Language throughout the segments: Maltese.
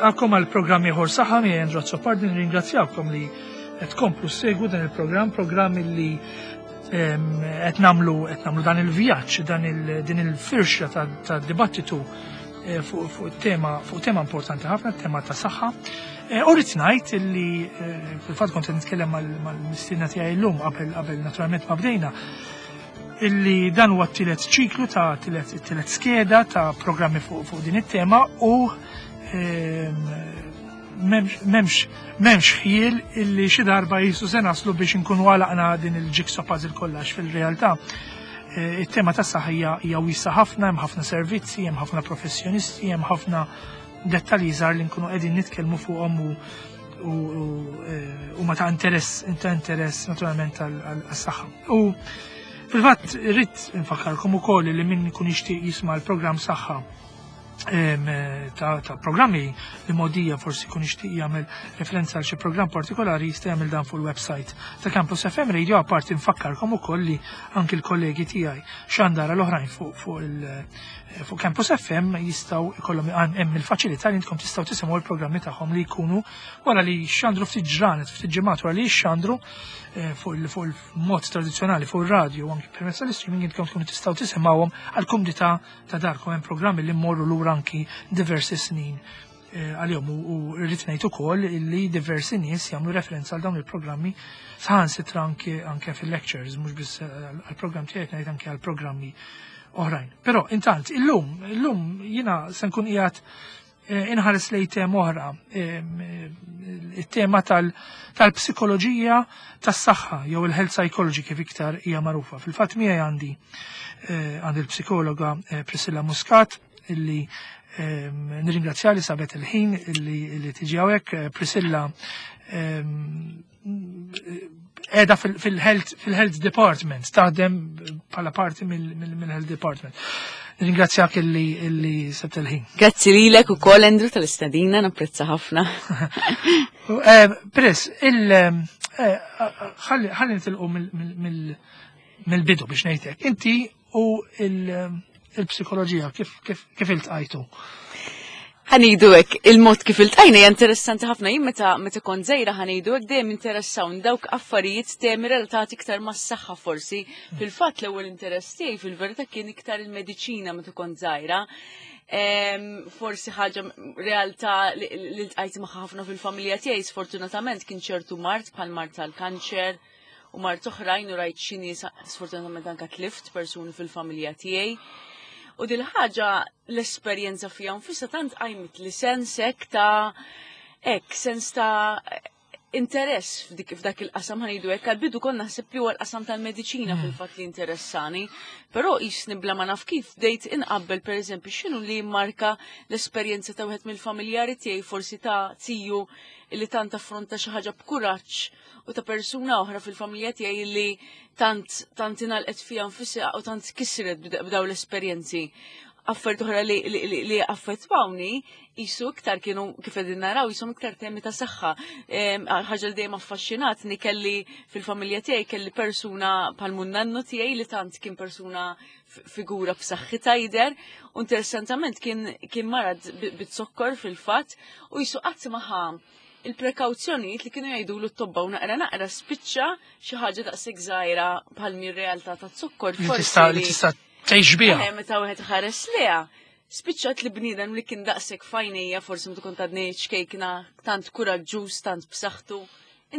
Nilqakom għal programm ieħor saħħa miegħi Andrew Azzopardi nirringrazzjawkom li qed tkomplu ssegwu dan il-programm, programm li qed nagħmlu qed nagħmlu dan il-vjaġġ, dan il din il-firxa ta' dibattitu eh, fuq tema fuq tema importanti ħafna, tema ta' saħħa. Eh, u rrid ngħid li eh, fil-fatt kont qed nitkellem mal-mistiedna tiegħi llum qabel qabel naturalment ma bdejna illi dan huwa t-tielet ċiklu ta' tielet skeda ta' programmi fuq fu din it-tema u ehm, memx memx ħjiel illi xi darba jisu se naslu biex inkunu għalaqna din il-jigsaw puzzle kollax fil-realtà. Eh, it-tema tas saħħa hija wiesa ħafna, hemm ħafna servizzi, hemm ħafna professjonisti, hemm ħafna dettalji żgħar li nkunu qegħdin nitkellmu fuqhom u huma ta' interess ta' interess naturalment għas-saħħa. U fil-fatt irrid nfakkarkom ukoll li min ikun jixtieq jisma' l-programm saħħa ta' programmi li modija forsi kun jixtieq jagħmel referenza għal xi programm partikolari jista' jagħmel dan fuq il-website ta' Campus FM Radio apparti nfakkarkom ukoll li anki l-kollegi tiegħi xandara l-oħrajn fuq il- Eh, fuq Campus FM jistgħu ikollhom hemm il-faċilità li intkom tistgħu tisimgħu l-programmi tagħhom li jkunu wara li xandru ftit ġranet, ftit ġimgħat wara li xandru eh, fuq il-mod tradizzjonali fuq ir-radju u anki permezz tal-streaming intkom tkunu tistgħu tisimgħuhom għal kumdità ta' darkom hemm programmi li mmorru lura anki diversi snin eh, għalihom u rrid ngħid ukoll li diversi nies jagħmlu referenza għal dawn il-programmi saħansitra anke anke fil-lectures mhux biss għall-programm tiegħi ngħid anke għall-programmi oħrajn. Però intant illum, illum jiena se nkun qiegħed eh, inħares lej tema oħra, eh, it-tema tal-psikoloġija tas-saħħa jew il-health psychology kif iktar hija magħrufa. Fil-fatt miegħi għandi eh, għandi l-psikologa Priscilla Muscat illi nirringrazzja li sabet il-ħin illi tiġi hawnhekk. Priscilla edha fil-health fil department, taħdem bħala parti mill-health department. Ringrazzjak illi illi sebt il-ħin. Grazzi lilek ukoll Andrew tal-istadina, napprezza ħafna. Eh, Pres, il eh, ħalli nitilqu mill-bidu biex ngħidlek. Inti u il-psikoloġija kif kif iltqajtu? Ħanidu hekk, il-mod kif iltqajna hija interessanti ħafna jien meta meta kont żgħira ħanidu hekk dejjem interessawn dawk affarijiet temi relatati iktar mas-saħħa forsi. Fil-fatt l-ewwel interess tiegħi fil-verità kien iktar il-mediċina meta kont żgħira. Forsi ħaġa realtà li ltqajt magħha ħafna fil-familja tiegħi sfortunatament kien ċertu mard bħal mard tal-kanċer u mart oħrajn u rajt xi nies sfortunatament anka tlift persuni fil-familja tiegħi. U dil ħaġa l-esperjenza fija nfisha tant qajmit li sens hekk ta' hekk sens ta' interess f'dik f'dak il-qasam ħanidu hekk għal-bidu konna naħseb li huwa l-qasam tal-mediċina hmm. fil-fatt li interessani, però qisni bla ma naf kif bdejt inqabbel pereżempju x'inhu li jimmarka l-esperjenza ta' wieħed mill-familjari tiegħi forsi ta' tiju li tant affronta xi ħaġa b'kuraġġ u ta' persuna oħra fil-familja tiegħi li tant tant ingħalqet fiha nfisha u tant kisret b'daw l-esperjenzi. Affarijiet oħra li, li, li, li affettwawni jisu iktar kienu kif qegħdin naraw jisom iktar temi ta' saħħa. Ħaġa li dejjem affaxxinatni kelli fil-familja tiegħi kelli persuna bħal munnannu tiegħi li tant kien persuna figura b'saħħitha jidher u interessantament kien kien marad bit-zokkor fil-fatt u jisu qatt ma ħa il-prekawzjonijiet li kienu jgħidulu t-tobba u naqra naqra spiċċa xi ħaġa daqshekk żgħira bħal mir realtà ta' zokkor. Forsi li tista' tgħix biha. Eh, meta wieħed ħares liha, spiċċat li bniedem li kien daqshekk fajnejja forsi meta kont għadni ċkejkna tant kuraġġuż, tant b'saħħtu.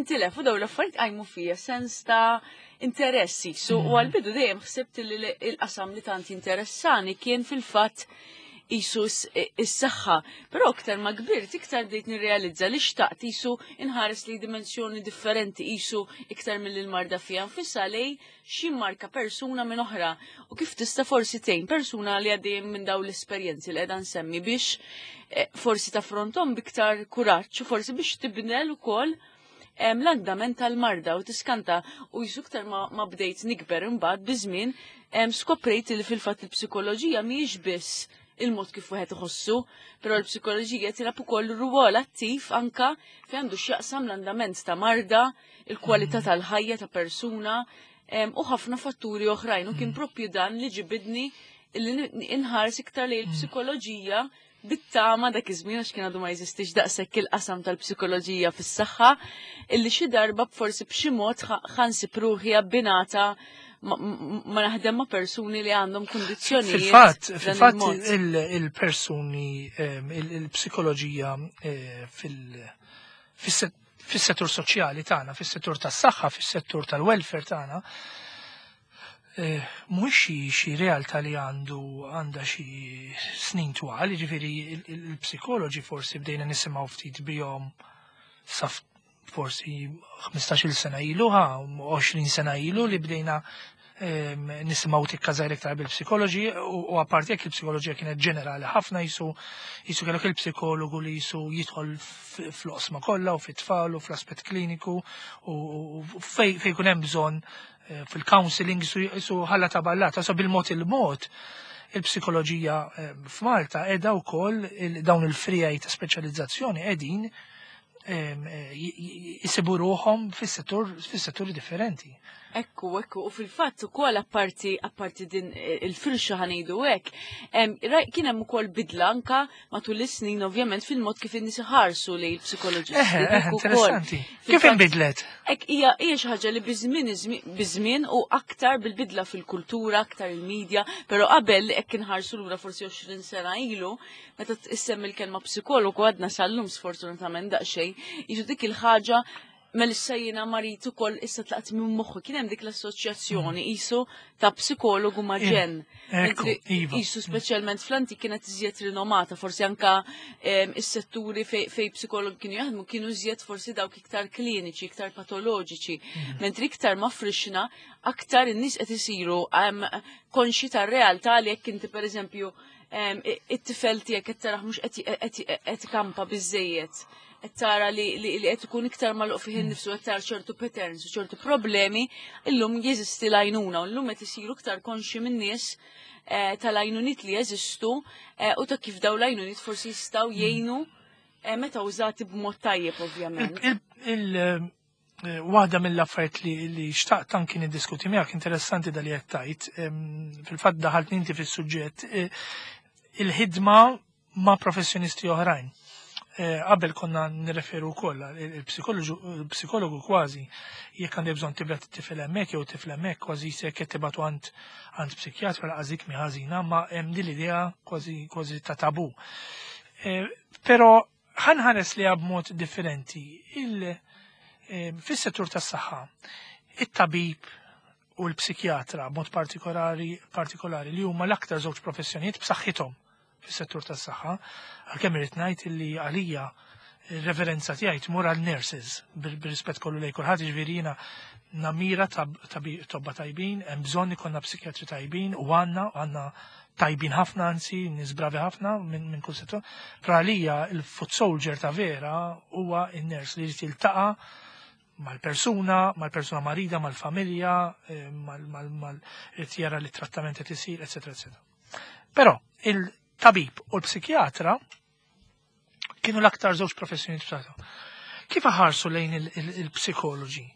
Intilef u dawn l-affarijiet qajmu fija sens ta' interess jisu u mm. għal-bidu dejjem ħsibt li l-qasam li tant jinteressani kien fil-fatt jisu is-saħħa. Però iktar ma kbirt, iktar bdejt nirrealizza li xtaqt jisu inħares li dimensjoni differenti jisu iktar mill-marda fija nfissa lej xi marka persuna minn oħra u kif tista' forsi tgħin persuna li għaddejjem minn dawn l-esperjenzi li qiegħda nsemmi biex eh, forsi taffronthom biktar kuraġġ u forsi biex tibnel ukoll l-andament tal-marda u tiskanta u jisu iktar ma, ma bdejt nikber imbagħad biż-żmien skoprejt li fil-fatt il-psikoloġija mhijiex biss il-mod kif wieħed iħossu, però l-psikoloġija tilab ukoll rwol attiv anka fejn għandu x'jaqsam l-andament ta' marda, il-kwalità mm. tal-ħajja ta' persuna u ħafna fatturi oħrajn u kien mm. propju dan li ġibidni li inħares iktar li mm. l-psikoloġija. Bit-tama dak iż-żmien, għax kien għadu ma jeżistix daqshekk il-qasam tal-psikoloġija fis-saħħa, illi xi darba forsi b'xi mod ħa nsib ruħi abbinata ma naħdem ma' persuni li għandhom kundizzjonijiet. Fil-fatt il-persuni, il-psikoloġija fil-settur soċjali tagħna, fis-settur tas-saħħa, fis-settur tal-welfare tagħna, mhux xi realtà li għandha xi snin twal, jiġifieri il-psikoloġi forsi bdejna nisimgħu ftit bihom sa forsi 15-il sena ilu, 20 sena ilu li bdejna nisimgħu tikka żgħir iktar bil-psikoloġi u apparti jekk il-psikoloġija kienet ġenerali ħafna, jisu kellek il-psikologu li jisu jidħol fl-oqsma kollha u fit-tfal u fl-aspett kliniku u fej kun hemm bżonn fil-counseling, jisu ħalla ta' ballata. So bil-mod il-mod il-psikoloġija f'Malta edha wkoll dawn il-friegħi ta' speċjalizzazzjoni qegħdin jisibu ruħhom fis-setturi differenti. Ekku, u fil-fatt ukoll apparti din il-firxa, ħa ngħidu hekk, kien hemm ukoll bidla anka matul is-snin, ovvjament, fil-mod kif in-nies iħarsu lejn il-psikoloġisti. Interessanti. Kif inbidlet? Ek hija xi ħaġa li biż-żmien u aktar bil-bidla fil-kultura, aktar il-medja, però qabel, hekk inħarsu lura forsi 20 sena ilu, meta issemmi l-kelma psikologu, għadna sal-lum sfortunatament daqsxejn, jiġu dik il-ħaġa, mela issa jiena marid ukoll, issa tlaqt minn moħħu, kien hemm dik l-assoċjazzjoni qisu ta' psikologu ma' ġen. Qisu speċjalment fl-antik kienet iżjed rinomata, forsi anka is-setturi fej psikologi kienu jaħdmu kienu iżjed forsi dawk iktar kliniċi, iktar patoloġiċi. Mentri iktar ma frixna, aktar in-nies qed isiru konxi tar-realtà li jekk inti, pereżempju, it-tifel tiegħek qed taraħ mhux qed ikampa biżejjed, qed tara li qed ikun iktar magħluq fih innifsu, qed tara ċertu patterns u ċertu problemi, illum jeżisti l-għajnuna u llum qed isiru iktar konxi min-nies tal-għajnuniet li jeżistu u ta' kif daw l-għajnuniet forsi jistgħu jgħinu meta użati b'mod tajjeb, ovvjament. Waħda mill-affarijiet li xtaqt anki niddiskuti miegħek, interessanti da li qed tgħid, fil-fatt daħalt inti fis-suġġett, il-ħidma ma' professjonisti oħrajn. Qabel konna nirreferu wkoll il-psikologu kważi jekk għandek bżonn tibgħat it-tifel hemmhekk jew tifel hemmhekk, kważi se qed tibgħatu għand psikjatra, laqas dik mi ħażina, ma hemm din l-idea kważi ta' tabu. Però ħa nħares li b'mod differenti. Fis-settur tas-saħħa, it-tabib u l-psikjatra b'mod partikolari li huma l-aktar żewġ professjonijiet b'saħħithom fis-settur tas-saħħa, għalkemm irid ngħid li għalija il-reverenza tiegħi tmur għal nurses, bir-rispett kollu lejn kulħadd, jiġifieri jiena namira tobba tajbin, hemm bżonn ikollna psikjatri tajbin u għandna tajbin ħafna, anzi nies bravi ħafna minn kull settur. Però għalija il-foot soldier ta' vera huwa in-nurse li jrid jiltaqa' mal-persuna marida, mal-familja, mal jara li trattament qed isir, eċetera, eċetera. Però il-tabib u l-psikjatra kienu l-aktar żewġ professjoni b'saħħithom. Kif ħarsu lejn il-psikoloġi?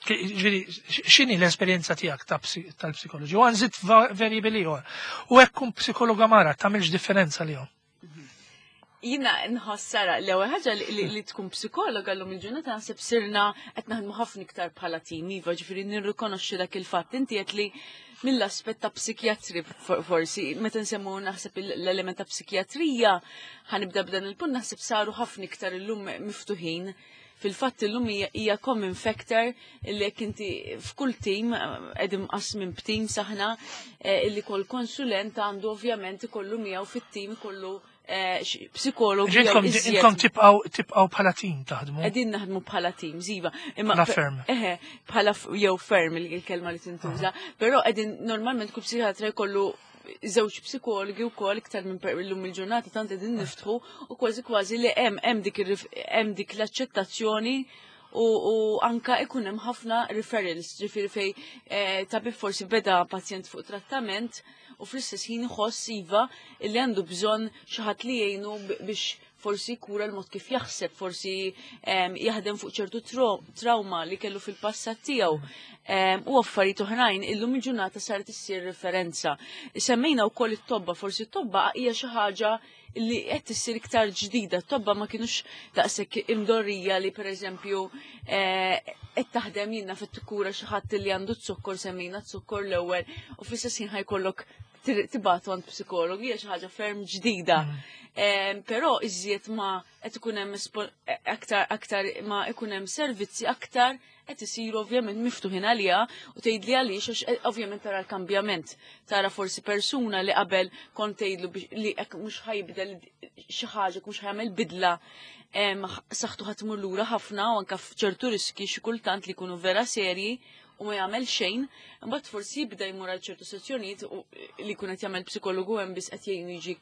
Ġifieri, x'inhi l-esperjenza tiegħek tal-psikoloġi? U għa nżid variabli ieħor. U hekk kun psikologa mara, tagħmilx differenza li Jina nħossara l-ewwel ħaġa li tkun psikologa llum il-ġurnata naħseb sirna qed naħdmu ħafna iktar bħala tim, iva, ġifieri nirrikonoxxi dak il-fatt. Inti qed li mill-aspett ta' psikjatri forsi, meta nsemmu naħseb l-element ta' psikjatrija, ħa nibda b'dan il-punt, naħseb saru ħafna iktar illum miftuħin. Fil-fatt illum hija common factor li jekk inti f'kull team, qegħdin mqasmin b'team saħna, illi kull konsulent għandu ovvjament ikollu miegħu fit-team ikollu psikologu jew Ġintkom iżjed. Intkom tibqgħu bħala team taħdmu. Qegħdin naħdmu bħala team, iva. Imma Bħala firm. Eħe, bħala jew firm il-kelma li tintuża. Però qegħdin normalment kull psikjatra jkollu żewġ psikologi wkoll iktar minn illum il-ġurnata tant qegħdin niftħu u kważi kważi li hemm dik l-aċċettazzjoni u anka ikun hemm ħafna referrals, ġifieri fej tabib forsi beda pazjent fuq trattament u fl-istess ħin iħoss iva li għandu bżonn xi ħadd li jgħinu biex Forsi jkura l-mod kif jaħseb, forsi jaħdem fuq ċertu trauma li kellu fil-passat tiegħu. U affarijiet oħrajn illum il-ġurnata saret issir referenza. Semmejna wkoll it-tobba, forsi t-tobba hija xi ħaġa li qed issir iktar ġdida. Tobba ma kinux daqshekk imdorrija li pereżempju qed taħdem jiena fit-tikura xi ħadd li għandu z-zokkor, semmejna z-zokkor l-ewwel, u fl-istess ħin ħajkollok tibatu għand psikologu, hija xi ħaġa ferm ġdida. Però iżjed ma qed ikun hemm aktar ma ikun hemm servizzi, aktar qed isiru ovvjament miftuħin għaliha. U tgħidli għaliex? Għax ovvjament tara l-kambjament. Tara forsi persuna li qabel kont tgħidlu li hekk mhux ħajbdel xi ħaġa, mhux ħajamel bidla, saħħtu ħa tmur lura ħafna u anke f'ċertu riski xi kultant li jkunu vera serji, u ma jagħmel xejn, imbagħad forsi jibda jmur għal ċertu sessjonijiet u li jkun qed jagħmel psikologu hemm biss qed jgħinu jiġi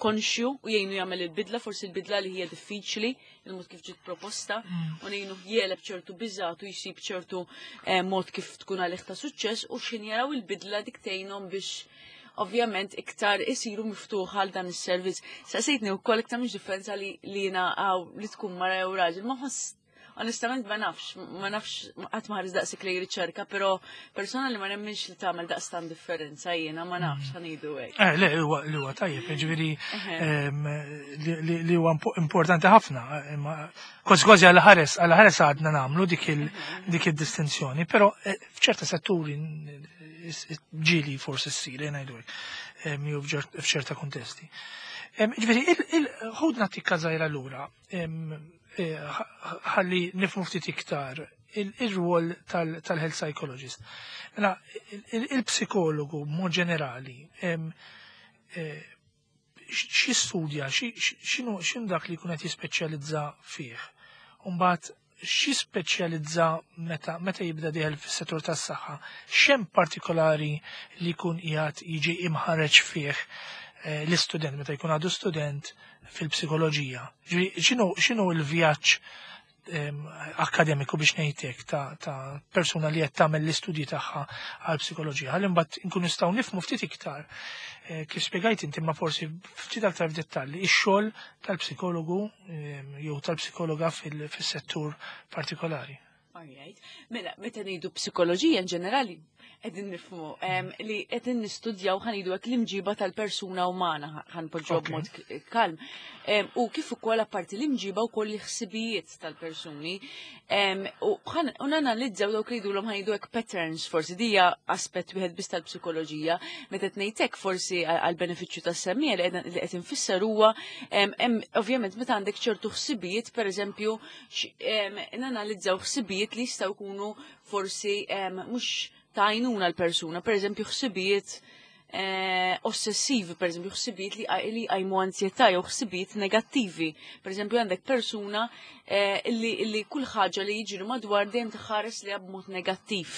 konxju u jgħinu jagħmel il-bidla, forsi il-bidla li hija diffiċli, il-mod kif ġiet proposta, u ngħinu jegħleb ċertu biżat u jsib ċertu mod kif tkun għalih ta' suċċess, u x'ħin jaraw il-bidla dik tgħinhom biex ovvjament iktar isiru miftuħ għal dan is-servizz. Saqsejtni wkoll iktar mhux differenza li jiena għaw li tkun mara jew raġel, ma ħoss onestament ma nafx, ma nafx, qatt ma ħares daqshekk li riċerka, però persona li ma nemminx li tagħmel daqstan differenza jiena, ma nafx, ħa ngħidu hekk. Le, li huwa tajjeb, ġifieri li huwa importanti ħafna, imma kważi kważi għal ħares għadna nagħmlu dik il-distinzjoni, però f'ċerta setturi ġieli forsi ssir, ngħidu hekk, jew f'ċerta kontesti. Ġifieri, ħudna tikka żgħira lura, ħalli nifhmu ftit iktar il-rwol tal-health psychologist. Mela, il-psikologu mod ġenerali, xi studja, x'inhu dak li jkun qed jispeċjalizza fih? Mbagħad xi speċjalizza meta jibda dieħel fis-settur tas-saħħa? X'hemm partikolari li jkun qiegħed jiġi imħareġ fih l-istudent meta jkun għadu student fil-psikoloġija? Ġifieri, x'inhu l-vjaġġ akademiku, biex ngħidlek, ta' persuna li qed tagħmel l-istudji tagħha għal psikoloġija? Ħalli mbagħad inkunu nistgħu nifhmu ftit iktar kif spjegajt inti, ma forsi ftit aktar f'dettalli, ix-xogħol tal-psikologu jew tal-psikologa fis-settur partikolari. Alright. Mela, meta ngħidu psikoloġija in ġenerali, qegħdin nifhmu li qegħdin nistudjaw, ħa ngħidu hekk, l-imġiba tal-persuna umana, ħa npoġġu b'mod kalm. U kif ukoll apparti l-imġiba wkoll l-ħsibijiet tal-persuni. U nanalizzaw dawk li jgħidulhom, ħa ngħidu hekk, patterns. Forsi dija aspett wieħed biss tal-psikoloġija. Meta qed ngħidlek forsi għal benefiċċju tas-semmiegħa li qed infisser huwa ovvjament meta għandek ċertu ħsibijiet, pereżempju, nanalizzaw ħsibijiet li jistgħu jkunu forsi mhux ta' għajnuna l-persuna, per eżempju ħsibijiet ossessivi, per eżempju ħsibijiet li jqajmu ansjetà jew ħsibijiet negattivi. Per eżempju għandek persuna li kull ħaġa li jiġri madwar dejjem tħares li b'mod negattiv.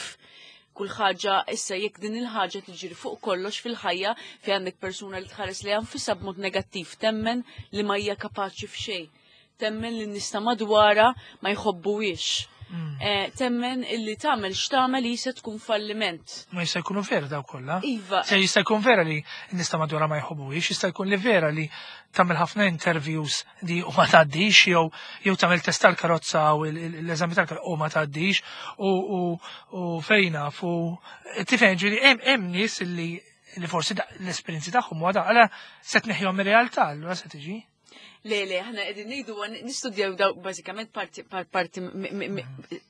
Kull ħaġa, issa jekk din il-ħaġa tiġri fuq kollox fil-ħajja, fi għandek persuna li tħares li nfisha b'mod negattiv, temmen li ma hija kapaċi f'xejn, temmen li n-nies ta' madwarha ma jħobbuhiex. Temmen illi tagħmel x'tagħmel jista' tkun falliment. Ma jista' jkunu vera daw kollha. Iva. Se jista' jkun vera li n-nies ta' madwarha ma jħobbuhiex, jista' jkun li vera li tagħmel ħafna interviews di u ma tgħaddix, jew tagħmel test tal-karozza u l-eżami tal-karozza u ma tgħaddix u fejna fu tifhem, ġifieri hemm nies li forsi l-esperjenzi tagħhom huwa da, għala se tneħħihom mir-realtà, allura se tiġi. Le, ħna qegħdin ngħidu nistudjaw daw bażikament parti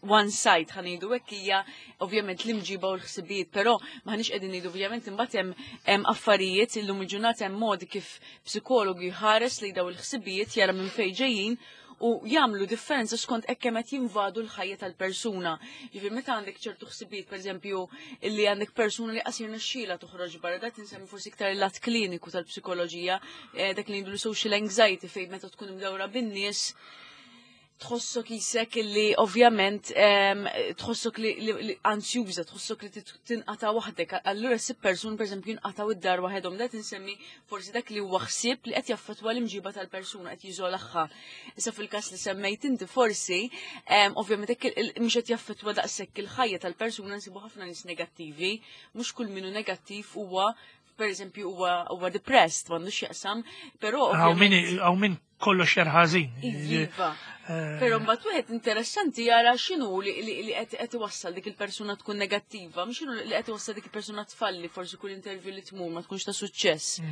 one side, ħa ngħidu hekk, hija ovvjament l-imġiba u l-ħsibijiet, però m'aħniex qegħdin ngħidu ovvjament imbagħad hemm affarijiet, illum il-ġurnata hemm modi kif psikologu jħares li daw il-ħsibijiet, jara minn fejn ġejjin u jagħmlu differenza skont hekk kemm qed jinvadu l-ħajja tal-persuna. Ġifieri meta għandek ċertu ħsibijiet, pereżempju, illi għandek persuna li qasir nexxiela toħroġ barra, dak insemmi forsi iktar il-lat kliniku tal-psikoloġija, dak li ngħidu social anxiety, fejn meta tkun imdawra bin-nies tħossok jisek illi ovvjament tħossok li ansjuża, tħossok li tinqata' waħdek. Allura ssib persun pereżempju jinqataw id-dar waħedhom, dak insemmi forsi dak li huwa ħsieb li qed jaffettwa l-imġiba tal-persuna, qed jiżolaha. Issa fil-każ li semmejt inti forsi, ovvjament hekk mhux qed jaffettwa daqshekk il-ħajja tal-persuna, nsibu ħafna nies negattivi, mhux kull min hu negattiv huwa pereżempju huwa depressed, m'għandux x'jaqsam, però Hawn min kollox jarħażin. Iva. Però mbagħad wieħed interessanti jara x'inhu li qed iwassal dik il-persuna tkun negattiva, mhux x'inhu li qed iwassal dik il-persuna tfalli forsi kull interview li tmur ma tkunx ta' suċċess.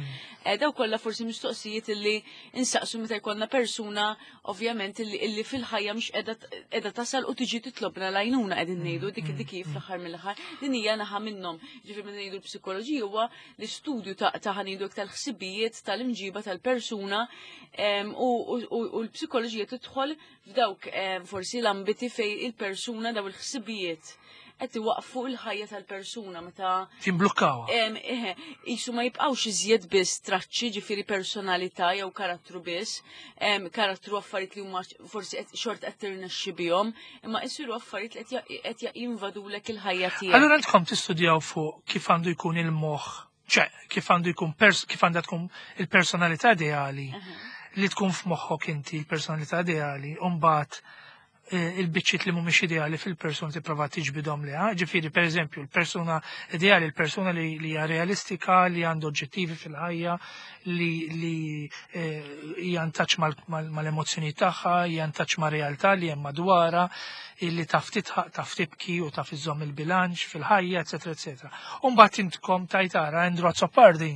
Daw kollha forsi mistoqsijiet li insaqsu meta jkollna persuna ovvjament illi fil-ħajja mhux qiegħda tasal u tiġi titlobna l-għajnuna qegħdin ngħidu dik dik fl-aħħar mill-aħħar. Din hija naħa minnhom. Ġifieri meta ngħidu l-psikoloġija huwa l-istudju ta' ħanidu tal-ħsibijiet tal-imġiba tal-persuna u l-psikoloġija tidħol f'dawk forsi l-ambiti fej il-persuna daw il-ħsibijiet qed iwaqfu l-ħajja tal-persuna meta Timblukkawha. Isu ma jibqgħux iżjed biss traċċi ġifieri personalità jew karattru biss, karattru affarijiet li huma forsi qed xort qed tirnexxi bihom, imma jsiru affarijiet li qed jinvadulek il-ħajja tiegħek. Allura intkom tistudjaw fuq kif għandu jkun il-moħħ, ċe, kif għandu jkun kif għandha tkun il-personalità ideali li tkun f'moħħok inti il-personalità ideali, u mbagħad il-biċċiet li mhumiex ideali fil-persuna tipprova tiġbidhom liha. Ġifieri, pereżempju, il-persuna ideali, il-persuna li hija realistika, li għandu oġġettivi fil-ħajja, li hija ntaċ mal-emozzjoni tagħha, hija ntaċ ma' realtà li hemm madwarha, illi taf titħaq, taf tibki u taf iżżomm il-bilanċ fil-ħajja, eċetera, eċetera. U mbagħad intkom tajtara Andrew Azzopardi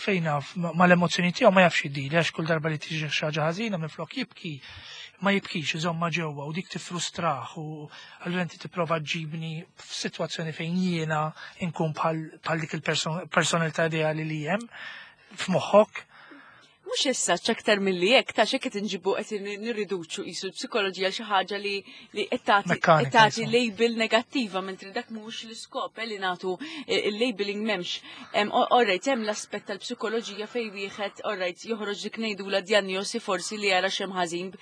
fejn naf mal-emozzjoni tiegħu ma jafx jiddili għax kull darba li tiġi xi ħaġa ħażina minflok jibki ma jibkix, iżomma ġewwa u dik tifrustrah u allura inti tipprova ġibni f'sitwazzjoni fejn jiena nkun bħal dik il-personalità ideali li hemm f'moħħok. Mhux issa aktar milli hekk ta' x'hekk qed inġibu qed nirriduċu qisu l-psikoloġija xi ħaġa li qed tagħti label negattiva mentri dak mhux l-iskop li nagħtu il-labeling m'hemmx. Alright, hemm l-aspett tal-psikoloġija fejn wieħed alright joħroġ dik ngħidula diagnosi forsi li jara x'hemm ħażin.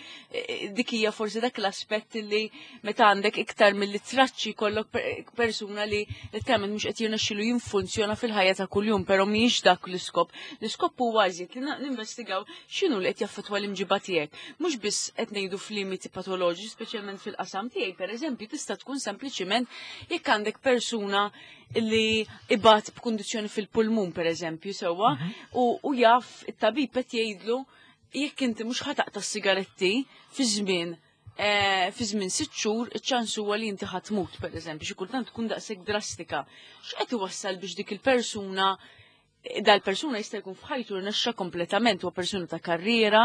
Dik hija forsi dak l-aspett li meta għandek iktar milli traċċi kollok persuna li letteralment mhux qed jirnexxilu jinfunzjona fil-ħajja ta' kuljum, però mhijiex dak l-iskop. L-iskop huwa iżjed li ninvestigaw x'inhu li qed jaffettwa l-imġiba tiegħek. Mhux biss qed ngħidu f'limiti patoloġiċi, speċjalment fil-qasam tiegħi, pereżempju, tista' tkun sempliċiment jekk għandek persuna li ibat b'kundizzjoni fil-pulmun, pereżempju, sewwa, u jaf it-tabib qed jgħidlu jekk inti mhux ħataqta' s-sigaretti fi żmien fi żmien 6 xhur iċ-ċans huwa li inti ħadd tmut, pereżempju, xi kultant tkun daqshekk drastika. X'qed iwassal biex dik il-persuna dal-persuna jista' jkun f'ħajtu rnexxa kompletament, huwa persuna ta' karriera,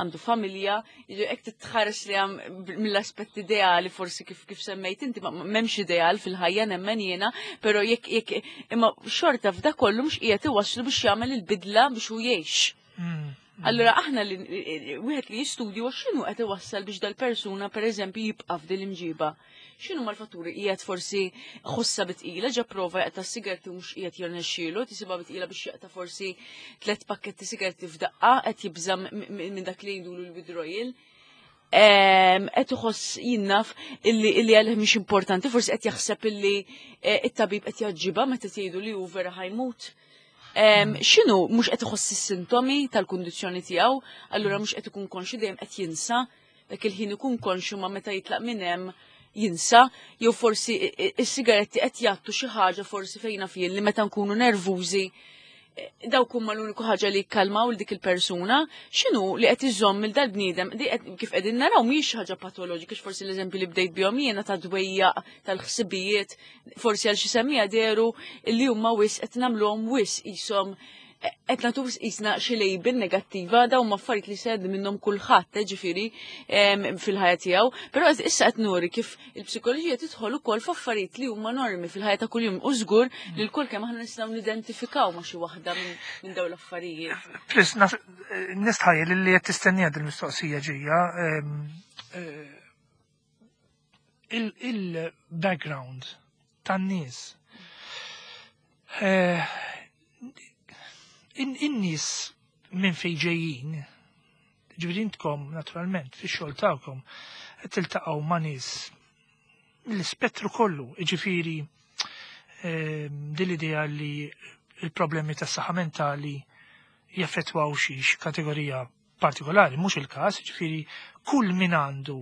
għandu familja, hekk titħares li hemm mill-aspett ideali forsi kif semmejt inti, ma m'hemmx ideal fil-ħajja nemmen jiena, però jekk imma xorta f'da kollu mhux qiegħed iwasslu biex jagħmel il-bidla biex hu jgħix. Allura aħna li wieħed li jistudju x'inhu qed iwassal biex dal-persuna pereżempju jibqa' f'din l-imġiba. X'inhu mal-fatturi qiegħed forsi ħossa bitqila ġa prova jaqta' sigaretti mhux qiegħed jirnexxielu, tisibha bitqila biex jaqta' forsi 3 pakketti sigaretti f'daqqa qed jibża' minn dak li jgħidulu l-withdrawal. Qed iħoss jinnaf illi għalih mhix importanti, forsi qed jaħseb illi it-tabib qed jaġġibha meta tgħidu li hu vera ħajmut. X'inhu mhux qed iħoss is-sintomi tal-kundizzjoni tiegħu, allura mhux qed ikun konxju dejjem qed jinsa, dak il-ħin ikun konxju ma meta jitlaq minn hemm jinsa, jew forsi is-sigaretti qed jgħattu xi ħaġa forsi fejna fien li meta nkunu nervużi dawk huma l-uniku ħaġa li jikkalmaw lil dik il-persuna, x'inhu li qed iżomm il dal-bniedem, di qed kif qegħdin naraw mhijiex xi ħaġa patoloġika, forsi l-eżempju li bdejt bihom jiena ta' dwejjaq tal-ħsibijiet, forsi għal xi semmija dehru li huma wis qed nagħmluhom wis qishom qed nagħtu qisna xi label negattiva, dawn huma affarijiet li sed minnhom kulħadd, ġifieri, fil-ħajja tiegħu, però issa qed nuri kif il-psikoloġija tidħol ukoll f'affarijiet li huma normi fil-ħajja ta' kuljum u żgur li lkoll kemm aħna nistgħu nidentifikaw ma' xi waħda minn dawn l-affarijiet. Plis, nistħajjel li qed tistennija din il-mistoqsija ġejja, il-background tan-nies. In-nies minn fejn ġejjin, ġifieri intkom naturalment fix-xogħol tagħkom qed tiltaqgħu ma' nies l-ispettru kollu, ġifieri din l-idea li l-problemi tas-saħħa mentali jaffettwaw xi kategorija partikolari, mhux il-każ, ġifieri kull min għandu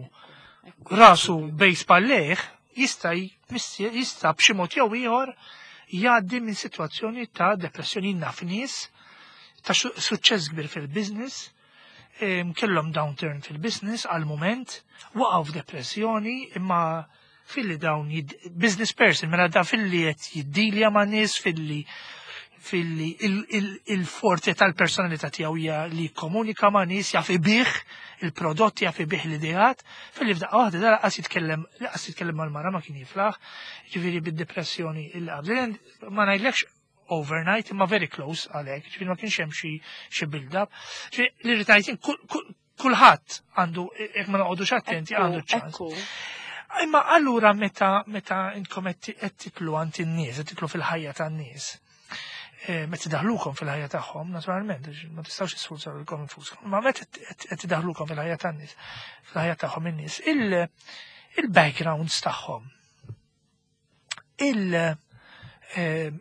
rasu bejn spallejh jista' b'xi mod jew ieħor jgħaddi minn sitwazzjoni ta' depressjoni. Naf nies ta' suċċess kbir fil-business, kellhom downturn fil-business għal moment, waqgħu f'depressjoni, imma filli dawn business person, mela da filli qed jiddilja ma' nies, filli il-forte tal-personalità tiegħu hija li jikkomunika ma' nies, jaf ibih il-prodotti, jaf ibih l-ideat, filli f'daqqa waħda da laqas jitkellem mal-mara ma kien jiflaħ, ġifieri bid-depressjoni il qabel ma ngħidlekx overnight, imma very close għalhekk, ġifieri ma kienx hemm xi build-up. Ġifieri li rrid kulħadd għandu, jekk ma noqogħdux attenti, għandu ċans. Imma allura meta intkom qed titlu għand in-nies, qed titlu fil-ħajja tan-nies, meta daħlukom fil-ħajja tagħhom, naturalment, ma tistgħux tisfurzaw lilkom infuskom, ma meta qed tidaħlukom fil-ħajja tan-nies, fil-ħajja tagħhom in-nies, il-backgrounds tagħhom,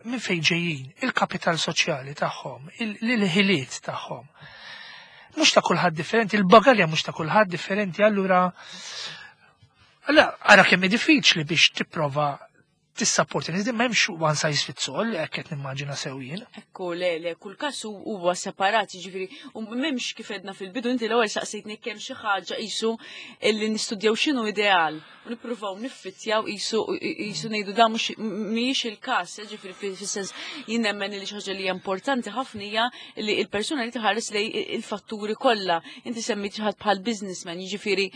minn fejn ġejjin, il-kapital soċjali tagħhom, il-ħiliet tagħhom. Mhux ta' kulħadd differenti, il-bagalja mhux ta' kulħadd differenti, allura Allora, ara kemm hi diffiċli biex tipprova tissapporti nies, ma hemmx one size fits all, hekk qed nimmaġina sew jien. Ekku, le, le, kull każ huwa separat, ġifieri, u m'hemmx kif edna fil-bidu, inti l-ewwel saqsejtni kemm xi ħaġa qisu illi nistudjaw x'inhu ideal u nippruvaw niffittjaw qisu ngħidu da mhux mhijiex il-każ, ġifieri fis-sens jien nemmen li xi ħaġa li hija importanti ħafna hija li l-persuna li tħares lej il-fatturi kollha. Inti semmit xi ħadd bħal businessman, jiġifieri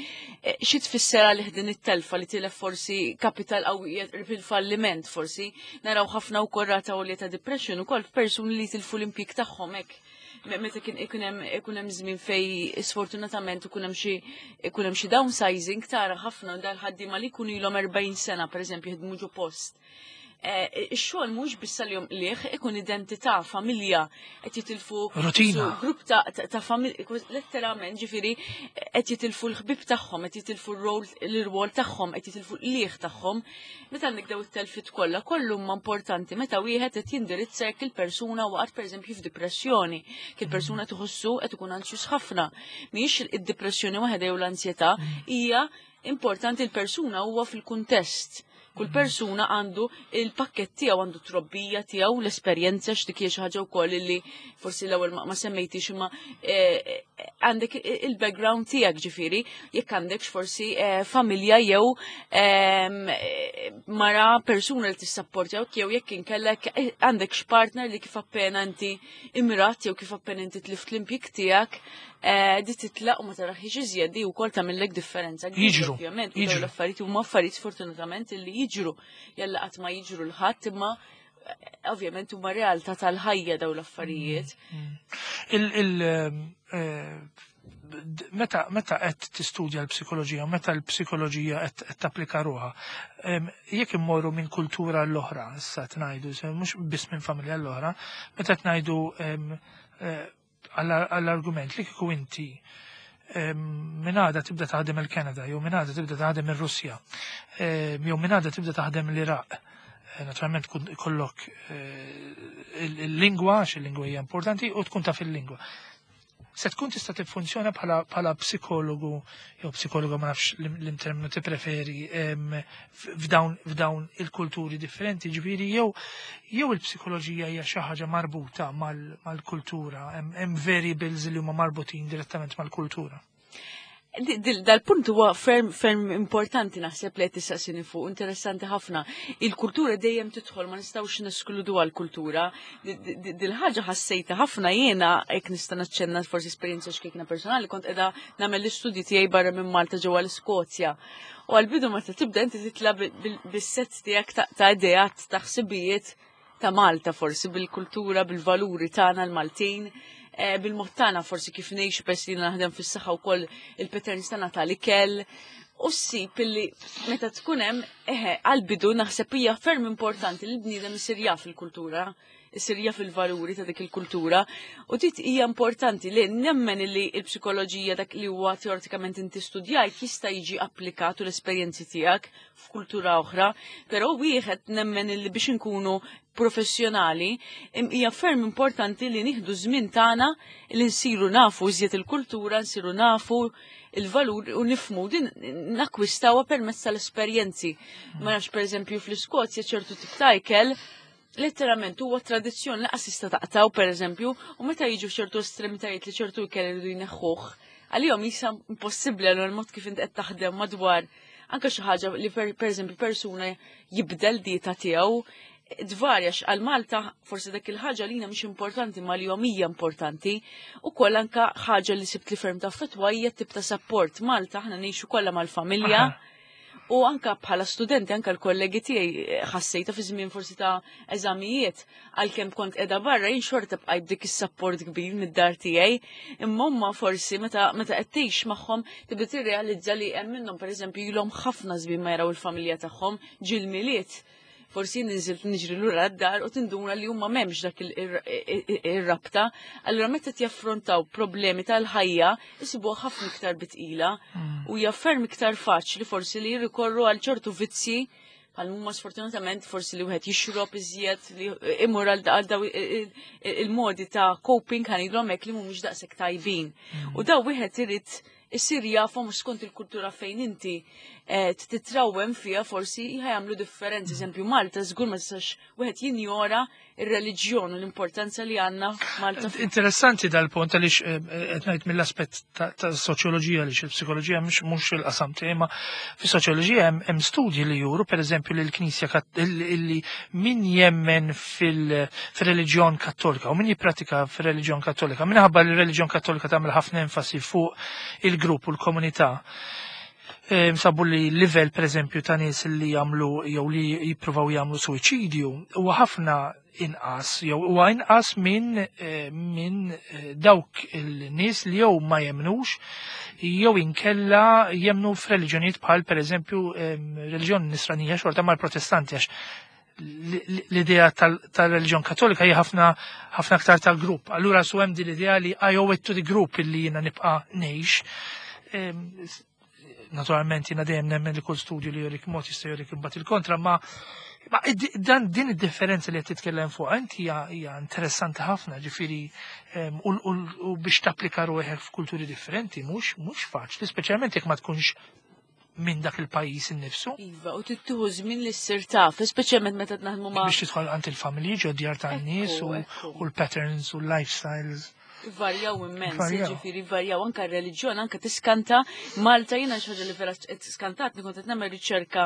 xi tfisser għalih din it-telfa li tilef forsi kapital qawwi fil-falliment forsi, naraw ħafna wkoll rata għolja ta' depression ukoll f'persuni li tilfu l-impjieg tagħhom hekk. Meta kien ikun hemm żmien fej sfortunatament ikun hemm xi downsizing, tara ħafna dal-ħaddiema li jkunu ilhom 40 sena, pereżempju, jaħdmu ġo post. Ix-xogħol mhux biss għalihom liħ, ikun identità, familja, qed jitilfu Rutina. Grupp ta' familja, letteralment, ġifieri qed jitilfu l-ħbib tagħhom, qed jitilfu l-rwol tagħhom, qed jitilfu l-liħ tagħhom. Meta għandek daw it-telfit kollha, kollu huma importanti meta wieħed qed jindirizza jekk il-persuna waqgħet, pereżempju, f'depressjoni, jekk il-persuna tħossu qed ikun anzjus ħafna. Mhijiex id-depressjoni waħedha jew l-ansjetà, hija importanti l-persuna huwa fil-kuntest. Kull persuna għandu il-pakket tiegħu, għandu trobbija tiegħu, l-esperjenza, x'dik hija xi ħaġa wkoll li forsi l-ewwel ma semmejtix, imma għandek il-background tiegħek, ġifieri jekk għandek forsi familja jew mara, persuna li tissapportjaw, jew jekk inkellek għandek x'partner li kif appena inti imrat jew kif appena inti tlift l-impjieg tiegħek, di titlaq u ma taraħiex iżjed, di wkoll tagħmellek differenza kbira. Jiġru, Ovvjament, u dawn jiġru. l-affarijiet huma affarijiet sfortunatament li jiġru. Jalla qatt ma jiġru l-ħadd, imma ovvjament huma realtà tal-ħajja dawn l-affarijiet. Meta qed tistudja l-psikoloġija, meta l-psikoloġija qed tapplika ruha, jekk immorru minn kultura l-oħra, issa tnajdu, mhux biss minn familja l-oħra, meta tnajdu għall-argument li kieku inti minn għada tibda taħdem il-Kanada, jew minn għada tibda taħdem il-Russja, jew minn għada tibda taħdem l-Iraq. Naturalment kun ikollok il-lingwa, għax il-lingwa hija importanti, u tkun taf il-lingwa. Se tkun tista' tiffunzjona bħala psikologu jew psikologu, ma nafx l-terminu ti preferi, f'dawn il-kulturi differenti, ġifieri jew il-psikoloġija hija xi ħaġa marbuta mal-kultura, hemm variables li huma marbutin direttament mal-kultura? Dal-punt huwa ferm ferm importanti naħseb li qed tistaqsini fuq, interessanti ħafna. Il-kultura dejjem tidħol, ma nistgħux neskludu għall-kultura. Dil-ħaġa ħassejta ħafna jiena, hekk nista' naċċenna forsi esperjenza xkejkna personali, kont qiegħda nagħmel l-istudji tiegħi barra minn Malta ġewwa l-Iskozja. U għal-bidu meta tibda inti titla' bis-set tiegħek ta' ideat, ta' ħsibijiet ta' Malta forsi, bil-kultura, bil-valuri tagħna l-Maltin, bil-mod tagħna forsi kif ngħixu, pers li naħdem fis-saħħa wkoll, il-patterns tagħna tal-ikel. U ssib illi meta tkun hemm, eħe, għal-bidu naħseb hija ferm importanti li l-bniedem isir jaf il-kultura, isir jaf il-valuri ta' dik il-kultura. U dit hija importanti li nemmen li l-psikoloġija, dak li huwa teoretikament inti studjajt, jista' jiġi applikat u l-esperjenzi tiegħek f'kultura oħra, però wieħed nemmen li biex inkunu professjonali hija ferm importanti li nieħdu żmien tagħna li nsiru nafu iżjed il-kultura, nsiru nafu il-valur u nifmu din nakkwistawha permezz tal-esperjenzi. Ma nafx, pereżempju, fl-Iskozja ċertu tip ta' ikel Letteralment huwa tradizzjoni laqas tista' taqtaw pereżempju, u meta jiġu ċertu estremitajiet li ċertu ikel iridu jneħħuh, għalihom jisa impossibbli għal mod kif inti qed taħdem madwar anke xi ħaġa li pereżempju persuna jibdel dieta tiegħu tvarja għal Malta forsi dak il-ħaġa li mhix importanti ma li hija importanti u koll anka ħaġa li sibt li ferm ta' fetwa hija tip ta' support. Malta aħna ngħixu kollha mal-familja. U anka bħala studenti, anka l-kollegi tiegħi ħassejta fi żmien forsi ta' eżamijiet, għalkemm kont qiegħda barra jien xorta bqajt dik is-support kbir mid-dar tiegħi. Imma huma forsi meta qed tgħix magħhom tibda tirrealizza li hemm minnhom, pereżempju, ilhom ħafna żmien ma jaraw il-familja tagħhom ġil Milied. Forsi ninżilt niġri lura d-dar u tinduna li huma m'hemmx dak ir-rabta. Allura meta jaffrontaw problemi tal-ħajja, isibuha ħafna iktar bitqila u hija ferm iktar faċli forsi li jirrikorru għal ċertu vizzi bħal huma sfortunatament forsi li wieħed jixrob iżjed, li imur għal daw il-modi ta' coping, ħa ngħidulhom hekk, li mhumiex daqshekk tajbin. U daw wieħed irid isir jafhom skont il-kultura fejn inti titrawem fija forsi jagħmlu differenzi. Eżempju, Malta żgur ma tistax wieħed jinjora ir-reliġjon u l-importanza li għandna Malta. Interessanti dal-punt għaliex qed ngħid mill-aspett ta' soċjoloġija, li il-psikoloġija mhux il-qasam tiegħi, ma fis-soċjoloġija hemm studji li juru, pereżempju, li l-Knisja li min jemmen fil-reliġjon Kattolika u min jippratika fil-reliġjon Kattolika, minħabba li l-reliġjon Kattolika tagħmel ħafna enfasi fuq il-grupp u l-komunità. Sabu li livell, per eżempju, ta' nies li jagħmlu jew li jippruvaw jagħmlu suwiċidju huwa ħafna inqas jew huwa inqas minn dawk il-nies li jew ma jemnux jew inkella jemnu f'reliġjonijiet bħal, pereżempju, reliġjon Nisranija xorta mal-Protestanti, għax l-idea tal-reliġjon Kattolika hija ħafna ħafna aktar tal-grupp. Allura su hemm din l-idea li I owe it to the group illi jiena nibqa' ngħix. Naturalment jiena dejjem nemmen li kull studju li jurik mod jista' jurik imbagħad il-kontra, ma dan din id-differenza li qed titkellem fuq inti hija interessanti ħafna, ġifieri u biex tapplika ruħek f'kulturi differenti mhux faċli, speċjalment jekk ma tkunx minn dak il-pajjiż innifsu. Iva, u tittieħu żmien li ssir taf, speċjalment meta naħdmu ma' Biex tidħol għand il-familji ġo djar tan-nies u l-patterns u l-lifestyles. Varjaw immens, Varjaw. Ġifieri varjaw anka r-reliġjon, anka tiskanta. Malta jiena xi ħaġa li vera skantat, kont qed nagħmel riċerka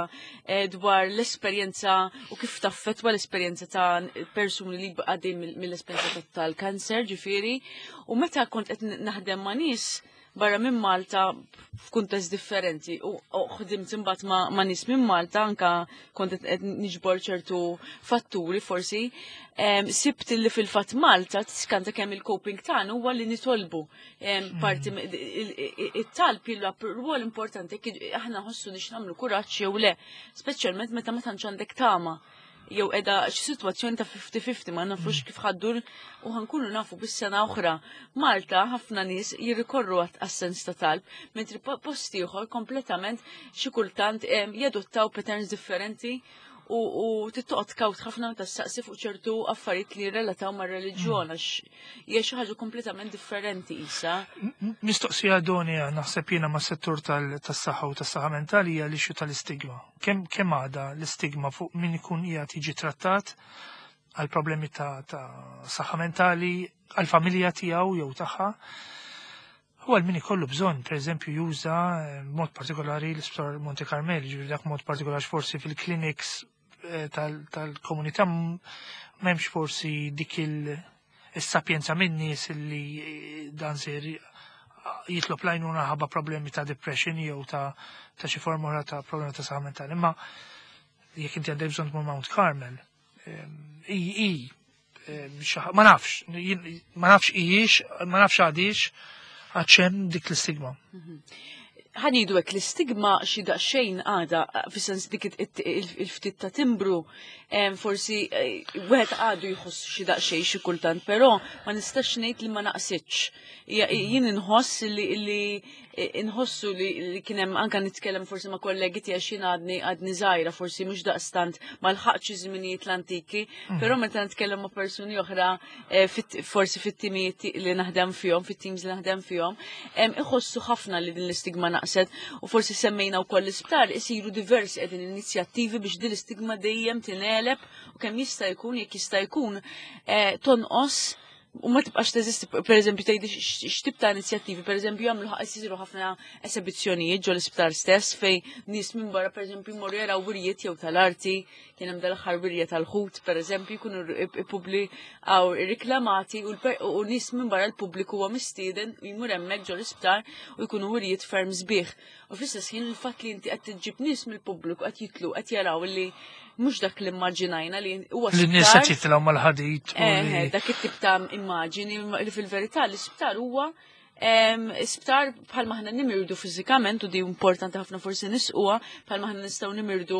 dwar l-esperjenza u kif taffetwa l-esperjenza ta' persuni li għaddej mill-esperjenza tal-kanser, ġifieri, u meta kont qed naħdem ma' nies barra minn Malta f'kuntest differenti u ħdimt imbagħad ma' nies minn Malta, anka kont qed niġbor ċertu fatturi forsi, sibt li fil-fatt Malta tiskanta kemm il-coping tagħna huwa li nitolbu. Parti it-talb jilgħab rwol importanti jekk aħna nħossu nix nagħmlu kuraġġ jew le, speċjalment meta ma tantx għandek tama jew edha xi sitwazzjoni ta' 50-50, ma nafux kif ħa ddur u ħa nkunu nafu bis-sena oħra. Malta ħafna nies jirrikorru għas-sens ta' talb, mentri post ieħor kompletament xi kultant jadottaw patterns differenti u tittoqgħod kawt ħafna meta ssaqsi fuq ċertu affarijiet li relataw mar-reliġjon, għax hija xi ħaġa kompletament differenti isa. Mistoqsija Donia, naħseb jiena ma' settur tas-saħħa u tas-saħħa mentali, hija l-issue tal-istigma. Kemm għadha l-istigma fuq min ikun qiegħed jiġi trattat għal problemi ta' saħħa mentali, għal familja tiegħu jew tagħha? U għal min ikollu bżonn, per eżempju, juża mod partikolari l-Isptar Monte Carmel, ġifieri dak mod partikolari forsi fil-clinics tal-komunità m'hemmx forsi dik il-sapjenza minn nies li dan ser jitlob l-għajnuna ħabba problemi ta' depression jew ta' xi forma oħra ta' problemi ta' saħħa mentali. Imma jekk inti għandek bżonn tmur Mount Carmel, ma nafx ijiex, ma nafx għadix, għax hemm dik l-istigma. Ħa ngħidu hekk, l-istigma xi daqsxejn għada, fis-sens dik il-ftit ta' timbru, forsi wieħed għadu jħoss xi daqsxejn xi kultant, però ma nistax ngħid li ma naqsitx. Jien inħoss li Inħossu li kien hemm anke nitkellem forsi ma' kollegi tiegħi xi għadni żgħira, forsi mhux daqstant ma lħaqx iż-żminijiet l-antiki, però meta nitkellem ma' persuni oħra forsi fit-timijiet li naħdem fihom, fit-teams li naħdem fihom, iħossu ħafna li din l-istigma naqset u forsi semmejna wkoll l-isptar isiru diversi qegħdin inizjattivi biex din l-istigma dejjem tingħeleb u kemm jista' jkun, jekk jista' jkun, tonqos u ma tibqax teżisti. Per eżempju, tgħidi x'tip ta' inizjattivi, per eżempju, jagħmlu jsiru ħafna esebizzjonijiet ġol isptar stess fej nies minn barra, per eżempju, jmorru jaraw wirjiet jew tal-arti, kien hemm dal-aħħar wirja tal-ħut, per eżempju, jkunu ippubblikaw riklamati u nies minn barra, l-pubbliku huwa mistieden jmur hemmhekk ġol isptar u jkunu wirjiet ferm sbieħ. U fl-istess ħin il-fatt li inti qed tiġġib nies mill-pubbliku qed jitlu qed jaraw li mhux dak li immaġinajna li huwa Li n-nies sptar. qed jitilgħu mal-ħadid u Dak it-tip ta' immaġini li fil-verità l-isptar huwa isptar bħalma aħna nimirdu fiżikament, u di importanti ħafna forsi nisquha, bħalma aħna nistgħu nimirdu,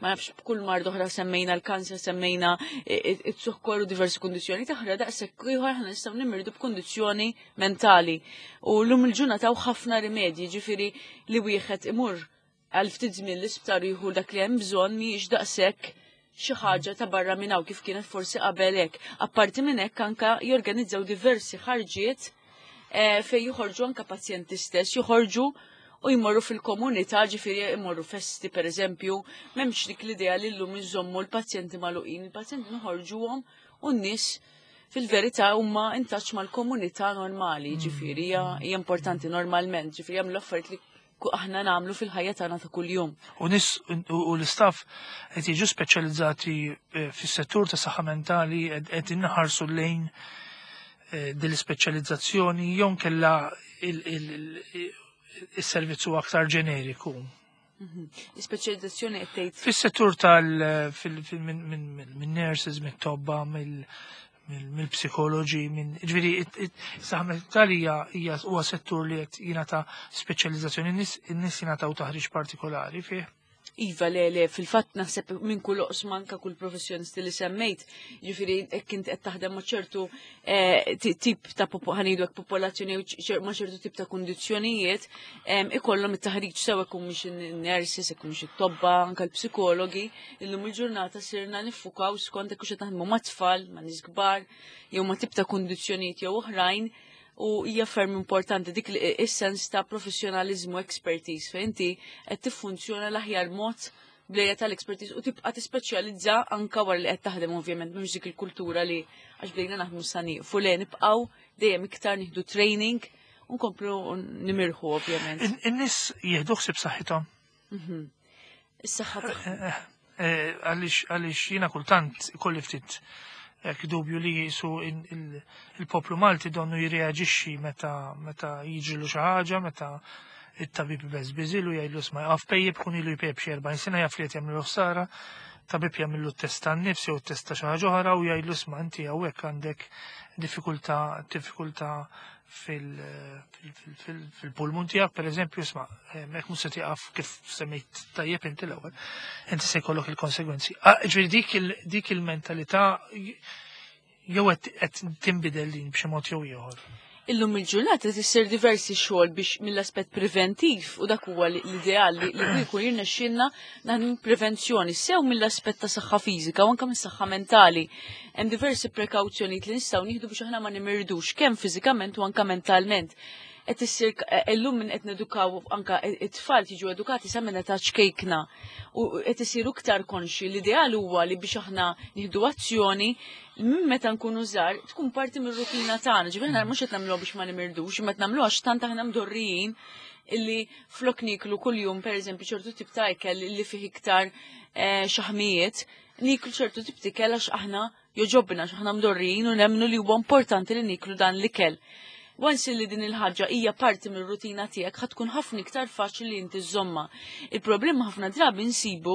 ma nafx, b'kull mard oħra, semmejna l-kanser, semmejna it-sukkor u diversi kundizzjoni oħra, daqshekk ieħor aħna nistgħu nimirdu b'kundizzjoni mentali. U llum il-ġurnata hawn ħafna rimedji, ġifieri li wieħed imur għal ftit żmien l-isptar jieħu dak li hemm bżonn mhijiex daqshekk xi ħaġa ta' barra minn hawn kif kienet forsi qabel hekk. Apparti minn hekk anka jorganizzaw diversi ħarġiet fejn joħorġu anka pazjenti stess, joħorġu u jmorru fil-komunità, ġifieri jmorru festi, per eżempju, m'hemmx dik l-idea li llum iżommu l-pazjenti magħluqin, il-pazjenti noħorġuhom u n-nies fil-verità huma in touch mal-komunità normali, ġifieri hija importanti normalment, ġifieri jagħmlu affarijiet li aħna nagħmlu fil-ħajja tagħna ta' kuljum. U nies u l-istaff qed jiġu speċjalizzati fis-settur ta' saħħa mentali, qed inħarsu lejn din l-ispeċjalizzazzjoni jew kella il-servizzu aktar ġeneriku? Ispeċjalizzazzjoni qed tgħid? Fis-settur tal minn nurses, minn tobba, mill-psikoloġi, minn, ġifieri, saħħa mentali hija huwa settur li qed jingħata speċjalizzazzjoni, in-nies jingħataw taħriġ partikolari fih. Iva, le, fil-fatt naħseb minn kull oqsma, anka kull professjonisti li semmejt, ġifieri jekk inti qed taħdem ma' ċertu tip ta' ħa ngħidu hekk popolazzjoni jew ma' ċertu tip ta' kundizzjonijiet, ikollhom it-taħriġ sew jekk mhux in-nurses, jekk mhux it-tobba, anka l-psikologi, illum il-ġurnata sirna niffukaw skont jekk hux qed naħdmu ma' tfal, ma' nies kbar, jew ma' tip ta' kundizzjonijiet jew oħrajn, u hija ferm importanti dik li is-sens ta' professjonalizmu, expertise, fejn inti qed tiffunzjona l-aħjar mod bl-area tal-expertise u tibqa' tispeċjalizza anka wara li qed taħdem. Ovvjament mhux dik il-kultura li għax bdejna naħdmu sa nieqfu, le, nibqgħu dejjem iktar nieħdu training u nkomplu nimirħu, ovvjament. In-nies jieħdu ħsieb saħħithom. Is-saħħa tagħhom. Għaliex jiena kultant ikolli ftit hekk dubju li jisu il-poplu Malti donnu jirreaġixxi meta jiġrilu xi ħaġa, meta it-tabib beżbiżilu jgħidlu isma' għaf pejjeb, kun ilu jpejjeb xi 40 sena, jaf li qed jagħmlu ħsara, tabib jagħmillu test tan-nifs jew test ta' xi ħaġa oħra u jgħidlu isma' inti hawnhekk għandek diffikultà fil-pulmun tiegħek, per eżempju, isma' hekk mhux se tieqaf, kif semmejt tajjeb inti l-ewwel, inti se jkollok il-konsegwenzi. Ah, ġifieri dik il-mentalità jew qed tinbidel din b'xi mod jew ieħor? Illum il-ġurnata tisir diversi xogħol biex mill-aspett preventiv, u dak huwa l-ideal li jkun jirnexxielna naħdmu prevenzjoni sew mill-aspett ta' saħħa fiżika u anke mis-saħħa mentali. Hemm diversi prekawzjonijiet li nistgħu nieħdu biex aħna ma nimirdux kemm fiżikament u anke mentalment. Qed issir illum minn qed nedukaw anke it-tfal, jiġu edukati sa minn età ċkejkna u qed isiru iktar konxi. L-ideal huwa li biex aħna nieħdu azzjoni minn meta nkunu żgħar, tkun parti mir-rutina tagħna. Ġifieri aħna mhux qed nagħmluha biex ma nimirdux, imma qed nagħmluha għax tant aħna mdorrijin illi flok niklu kuljum, pereżempju, ċertu tip ta' ikel li fih iktar xaħmijiet, niklu ċertu tip ta' ikel għax aħna joġobna, għax aħna mdorrijin u nemmnu li huwa importanti li niklu dan l-ikel. Once li din il-ħaġa hija parti mir-rutina tiegħek, ħa tkun ħafna iktar faċli li inti żżomma. Il-problema ħafna drabi nsibu,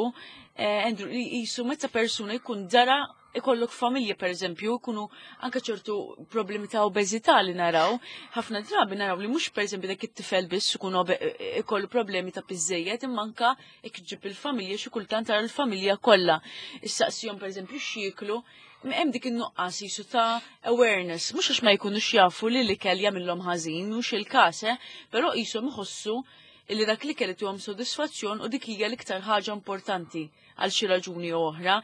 Andrew, li jisu meta persuna jkun dara Ikollok familja per eżempju, jkunu anke ċertu problemi ta' obeżità li naraw, ħafna drabi naraw li mhux per eżempju dak it-tifel biss ikun ikollu problemi ta' piżejjed, imma anke jekk ġib il-familja xi kultant tara l-familja kollha. Issaqsihom per eżempju x'jieklu, hemm dik in-nuqqas jisu ta' awareness, mhux għax ma jkunux jafu li l-ikel jagħmilhom ħażin, mhux il-każ, eh, però qishom iħossu illi dak l-ikel ituhom sodisfazzjon u dik hija l-iktar ħaġa importanti għal xi raġuni jew oħra.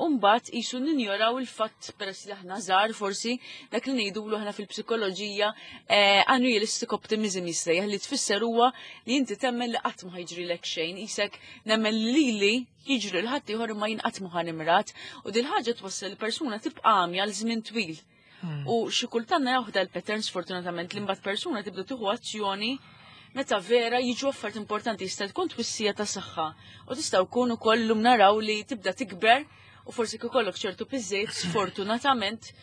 U mbagħad qisu ninjoraw il-fatt peress li aħna żgħar forsi dak li ngħidulu aħna fil-psikoloġija eh, unrealistic optimism jissejjaħ li tfisser huwa li inti temmen li qatt ma ħajġrilek xejn, qisek nemmen li lili jiġri l ħadd ieħor imma jien qatt ma ħanimrat u dil ħaġa twassal li persuna tibqa' għamja għal żmien twil. U xi kultant naraw dal-pattern sfortunatament li mbagħad persuna tibda tieħu azzjoni meta vera jiġu affarijiet importanti jista' tkun twissija ta' saħħa u tista' wkun ukoll lum naraw li tibda tikber u forsi kif ikollok ċertu piżejt sfortunatament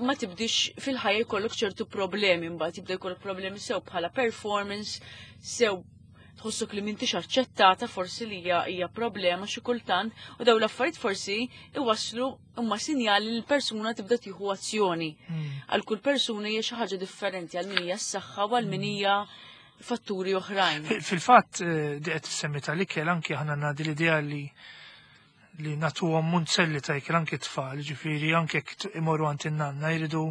ma tibdix fil-ħajja jkollok ċertu problemi mbagħad jibda jkollok problemi sew bħala performance, sew tħossok li m'intix aċċettata forsi li hija hija problema xi kultant u dawn l-affarijiet forsi iwasslu huma sinjali li l-persuna tibda tieħu azzjoni. Għal kull persuna hija xi ħaġa differenti għal min hija s-saħħa u għal min hija fatturi oħrajn. Fil-fatt, di qed tissemmi tal-ikel anki aħna għandna din l-idea li nagħtuhom munzelli ta' ikel anki tfal, ġifieri anke jekk imorru għand in-nanna jridu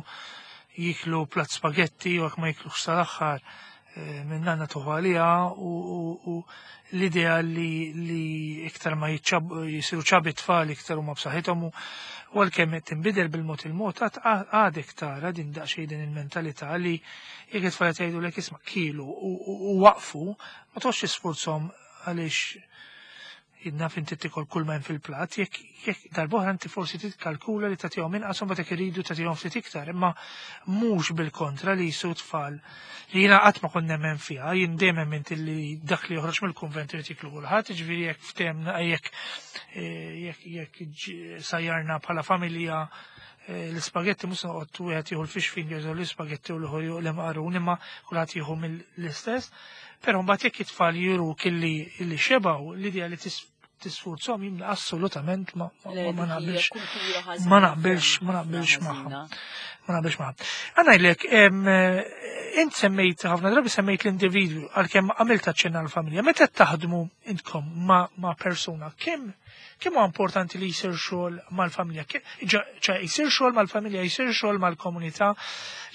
jiklu plat spagetti u jekk ma jiklux sal-aħħar minn nanna tuħu għaliha u l-idea li iktar ma jisiru chubby tfal iktar huma b'saħħithom u għalkemm qed tinbidel bil-mod il-mod għadek tara din daqsxejn din il-mentalità li jekk it-tfal qed jgħidulek isma' kielu u waqfu ma toqgħodx tisfurzhom għaliex jidna fin tikol kull ma hemm fil-plat, jekk darb'oħra inti forsi titkalkula li tagħtihom inqas u mbagħad jekk iridu tagħtihom ftit iktar, imma mhux bil-kontra li jisu tfal li jiena qatt ma kont nemmen fiha, jien dejjem emmint li dak li joħroġ mill-kunvent irid jiklu kulħadd, jiġifieri jekk ftehemna jekk jekk jekk sajjarna bħala familja l-ispagetti mhux noqgħod wieħed jieħu l-fish fingers u l-ispagetti u l-ieħor jieħu l-imqarun, imma kulħadd jieħu mill-istess. Però mbagħad jekk it-tfal juruk illi xebgħu, l-idea li tisfurzhom jien assolutament ma naqbilx. Ma naqbilx, ma naqbilx magħha. Ma naqbilx magħha. Għanajlek, int semmejt ħafna drabi semmejt l-individwu għalkemm għamilt aċċenna l-familja. Meta taħdmu intkom ma' persuna, kemm huwa importanti li jsir xogħol mal-familja? ċe jsir xogħol mal-familja, jsir xogħol mal-komunità.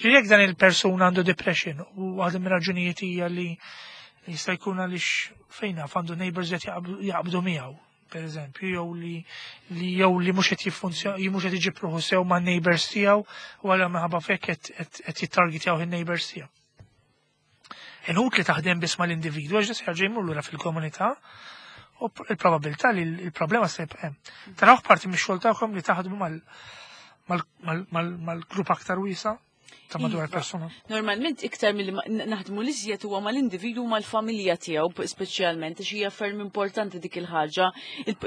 Jekk dan il-persuna għandu depression u waħda mir-raġunijiet hija li jista' jkun għaliex fejn naf għandu neighbors qed jaqbdu miegħu, per eżempju, jew li mhux qed jiffunzjon, mhux qed iġib ruħu sew ma' neighbors tiegħu u għal minħabba fekk qed jittargetjaw in-neighbors tiegħu. Inut li taħdem biss mal-individwu għax se jerġa' jmur lura fil-komunità u il-probabilità li l-problema se jibqa' hemm. Tarawh parti mix-xogħol tagħkom li taħdmu mal-grupp aktar wiesa' ta' madwar persuna? Normalment iktar milli naħdmu l-iżjed huwa mal-individu mal-familja tiegħu speċjalment għax hija ferm importanti dik il-ħaġa.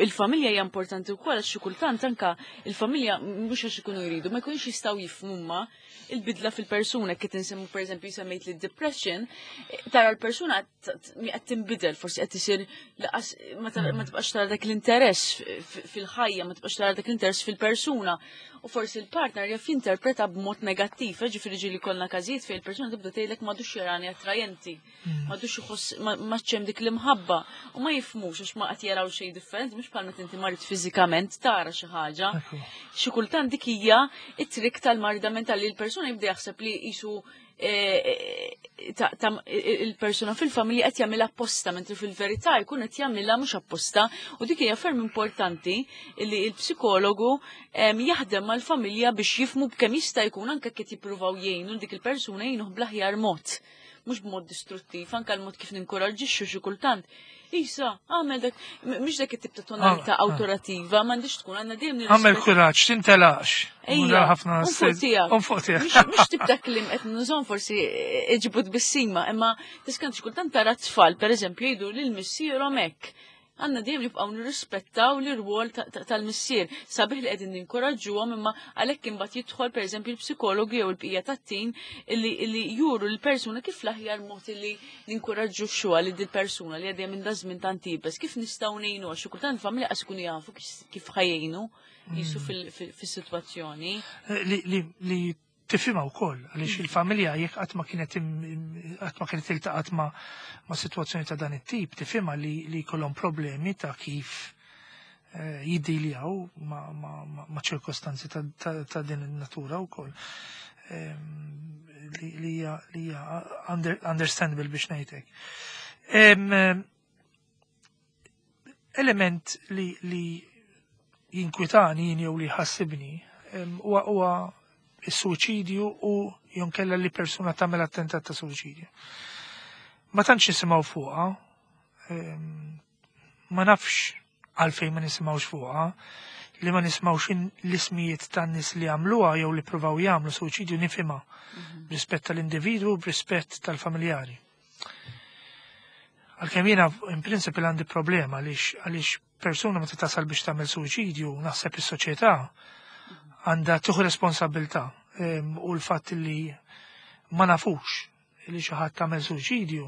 Il-familja hija importanti wkoll għax xi kultant anka il-familja mhux għax ikunu jridu ma jkunux jistgħu jifhmu il-bidla fil-persuna kif insemmu pereżempju semmejt li depression, tara l-persuna qed tinbidel, forsi qed isir ma tibqax tara dak l-interess fil-ħajja, ma tibqax tara dak l-interess fil-persuna. U forsi l-partner jaf jinterpreta b'mod negattiv, ġifieri ġieli kollna każijiet fejn il-persuna tibda tgħidlek m'għadux jarani attrajenti, m'għadux iħoss ma ċem dik l-imħabba u ma jifhmux għax ma qed jaraw xejn differenti, mhux bħal meta inti marid fiżikament tara xi ħaġa. Xi kultant dik hija it-trick tal-marda mentali l-persuna jibda jaħseb li qisu ta' il-persuna fil-familja qed jagħmilha apposta mentri fil-verità jkun qed jagħmilha mhux apposta u dik hija ferm importanti li l-psikologu jaħdem mal-familja biex jifhmu b'kemm jista' jkun anke kif jippruvaw jgħinu dik il-persuna jgħinuh bl-aħjar mod mhux b'mod distruttiv, anke l-mod kif ninkoraġġixxu xi kultant. Isa, għamel dak, mhux dak it-tip ta' tonalità awtorativa, m'għandix tkun għandna dejjem Għamel kuraġġ, tintelax. Ejja, ħafna fuq tiegħek. Fuq tiegħek. Mhux tip ta' kliem qed nużahom forsi iġibu tbissima, imma tiskant xi kultant tara tfal, pereżempju, jgħidu lil missierhom hekk. Għandna dejjem nibqgħu nirrispettaw l-irwol tal-missier. Sabiħ li qegħdin ninkoraġġuhom imma għalhekk imbagħad jidħol pereżempju l-psikologi jew il-bqija tat-tim illi juru l-persuna kif l-aħjar mod illi ninkoraġġu li dil-persuna li għaddejja minn dażmin tant iebes, kif nistgħu ngħinu għax xi kultant familja qas ikunu jafu kif ħajjinu jisu fis-sitwazzjoni. Li tifhimha wkoll għaliex il-familja jekk qatt ma kienet iltaqgħet ma' sitwazzjoni ta' dan it-tip, tifhimha li jkollhom problemi ta' kif jiddiljaw ma' ċirkostanzi ta' din in-natura wkoll. Li hija understandable biex ngħidlek. Element li jinkwitani jien jew li jħassibni huwa is-suċidju u jonkella li persuna tagħmel attentat ta' suċidju. Ma tantx nisimgħu fuqha, ma nafx għalfejn ma nisimgħux fuqha, li ma nisimgħux l-ismijiet tan-nies li għamluha jew li provaw jagħmlu suċidju nifhimha b'rispett tal-individwu, b'rispett tal-familjari. Għalkemm jiena in principle għandi problema għaliex persuna meta tasal biex tagħmel suċidju, naħseb is-soċjetà għandha tieħu responsabilità u l-fatt li ma nafux li xi ħadd tagħmel suċidju,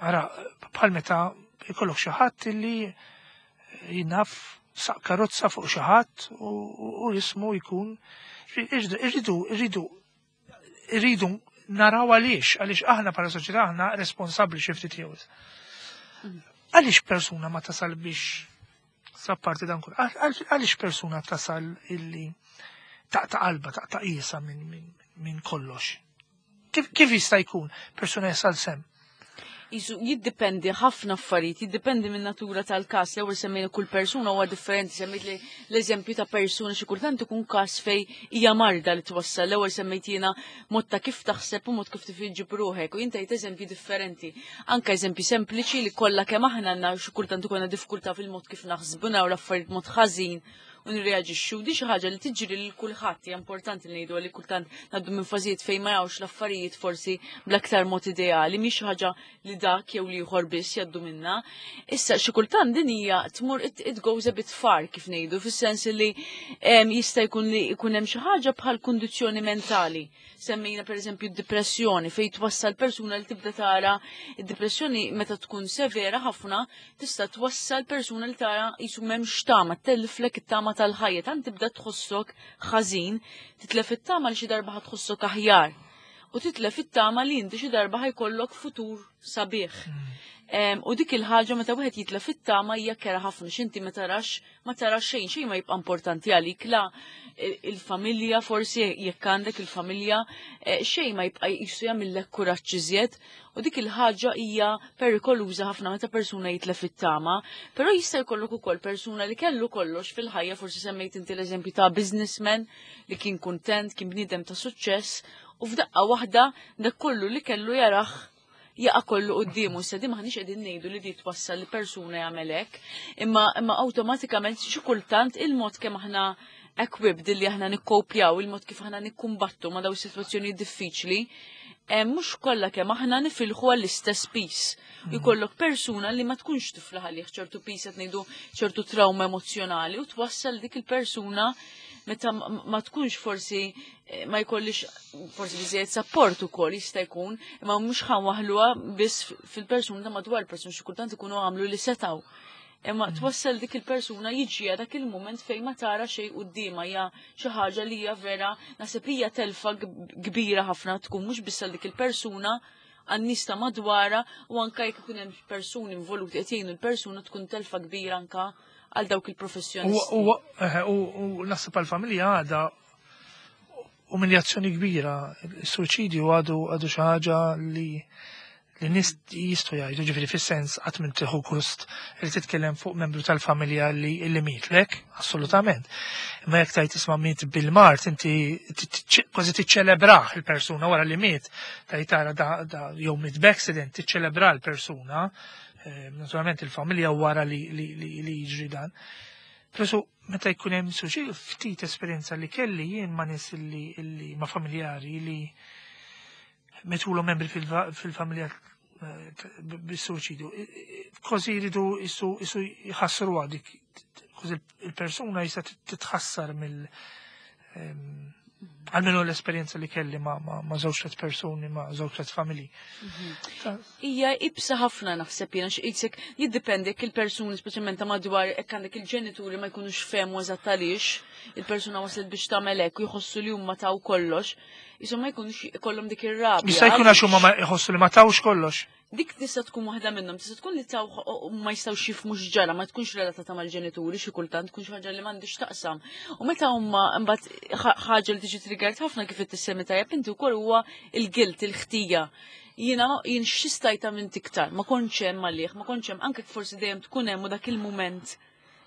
ara bħal meta jkollok xi ħadd li jinaf saq karozza fuq xi ħadd u jismu jkun irridu naraw għaliex aħna bħala soċjetà aħna responsabbli xi ftit jew. Għaliex persuna ma tasal biex sapparti dan kull, għaliex persuna tasal illi taqta' qalba, taqta' qisha minn kollox? Kif jista' jkun persuna jasal s'hemm? Isu jiddependi ħafna affarijiet, jiddependi minn natura tal-każ. L-ewwel semmejna kull persuna huwa differenti, semmejt li l-eżempju ta' persuna xi kultant ikun każ fej hija marda li twassal. L-ewwel semmejt jiena mod ta' kif taħseb u mod kif tifġib ruħek u jien tajt eżempji differenti. Anka eżempji sempliċi li kollha kemm aħna għandna xi kultant ikollna diffikultà fil-mod kif naħsbu u l-affarijiet mod ħażin u nirreaġixxu. Di xi ħaġa li tiġri lil kulħadd, hija importanti li ngħidu li kultant ngħaddu minn fażijiet fejn ma jawx l-affarijiet forsi bl-aktar mod ideali, mhix xi ħaġa li dak jew li ieħor biss jgħaddu minna. Issa xi kultant din hija tmur it goes a bit far kif ngħidu, fis-sens li jista' jkun li jkun hemm xi ħaġa bħal kundizzjoni mentali. Semmejna pereżempju d-depressjoni fejn twassal persuna li tibda tara id-depressjoni meta tkun severa ħafna tista' twassal persuna li tara jisu m'hemmx tama, telliflek it-tama tal-ħajja, tant tibda tħossok ħażin, titlef it-tama li xi darba ħa tħossok aħjar. U titlef it-tama li inti xi darba ħajkollok futur sabiħ. U dik il-ħaġa meta wieħed jitlef it-tama hija kerha ħafna x'inti ma tarax xejn, xejn ma jibqa' importanti għalik, la il-familja forsi jekk għandek il-familja, xejn ma jibqa' jisu jagħmillek kuraġġ iżjed u dik il-ħaġa hija perikoluża ħafna meta persuna jitlef it-tama, però jista' jkollok ukoll persuna li kellu kollox fil-ħajja, forsi semmejt inti l-eżempju ta' businessman li kien kuntent, kien bniedem ta' suċċess u f'daqqa waħda dak kollu li kellu jaraħ jaqa' kollu quddiemu. Issa di maħniex qegħdin ngħidu li di twassal li persuna jagħmel hekk, imma awtomatikament xi kultant il-mod kemm aħna equipped li aħna nikkopjaw, il-mod kif aħna nikkumbattu ma' daw sitwazzjoni diffiċli, mhux kollha kemm aħna nifilħu għall-istess piż. Jkollok persuna li ma tkunx tiflaħ għalih ċertu piż, qed ngħidu ċertu trauma emozjonali u twassal dik il-persuna meta ma tkunx forsi ma jkollix forsi biżejjed support ukoll jista' jkun, imma mhux ħanwaħluha biss fil-persuna ta' madwar il-persuna, xi kultant ikunu għamlu li setaw. Imma twassal dik il-persuna jiġi dak il-moment fejn ma tara xejn quddiemha, hija xi ħaġa li hija vera naħseb hija telfa kbira ħafna tkun mhux biss għal dik il-persuna, għan-nies ta' madwara u anka jekk ikun hemm persuni involuti qed jgħinu l-persuna, tkun telfa kbira anka għal dawk il-professjonisti. U naħseb għal-familja għada umiljazzjoni kbira. Il-suċidju għadu xi ħaġa li nies jistgħu jgħidu, ġifieri fis-sens qatt minn tieħu gust li titkellem fuq membru tal-familja li mietlek, assolutament. Imma jekk tajt isma' miet bil-mard, inti kważi tiċċelebrah il-persuna wara li miet, tajt tara da jew miet b'accident, tiċċelebra l-persuna, naturalment il-familja wara li jiġri dan. Però meta jkun hemm suċi ftit esperjenza li kelli jien ma' nies li ma' familjari li metulhom membri fil-familja. Bis-suċidu. Kważi jridu isu jħassru dik, kważi il-persuna jista' titħassar mill għalmenu l-esperienza li kelli ma' żewġ tliet persuni, ma' żewġ tliet familji. Hija ibsa ħafna naħseb jiena x'qisek jiddipendi jekk il-persuni speċjalment ta' madwar hekk għandek il-ġenituri ma jkunux fehmu eżatt għaliex il-persuna waslet biex tagħmel hekk u jħossu li huma taw kollox, jisom ma jkunux ikollhom dik ir-rabja. Jista' jkun għax huma ma jħossu li ma tawx kollox. Dik tista' tkun waħda minnhom, tista' tkun li taw ma jistgħux jifhmu x'ġara, ma tkunx relatata mal-ġenituri xi kultant tkun xi ħaġa li m'għandix taqsam. U meta huma mbagħad ħaġa li tiġi triggered ħafna kif qed tissemmi tajjeb inti wkoll huwa il-guilt, il-ħtija. Jiena jien x'istajta minn tiktar, ma kontx hemm għalih, ma kontx hemm anke forsi dejjem tkun hemm u dak il-mument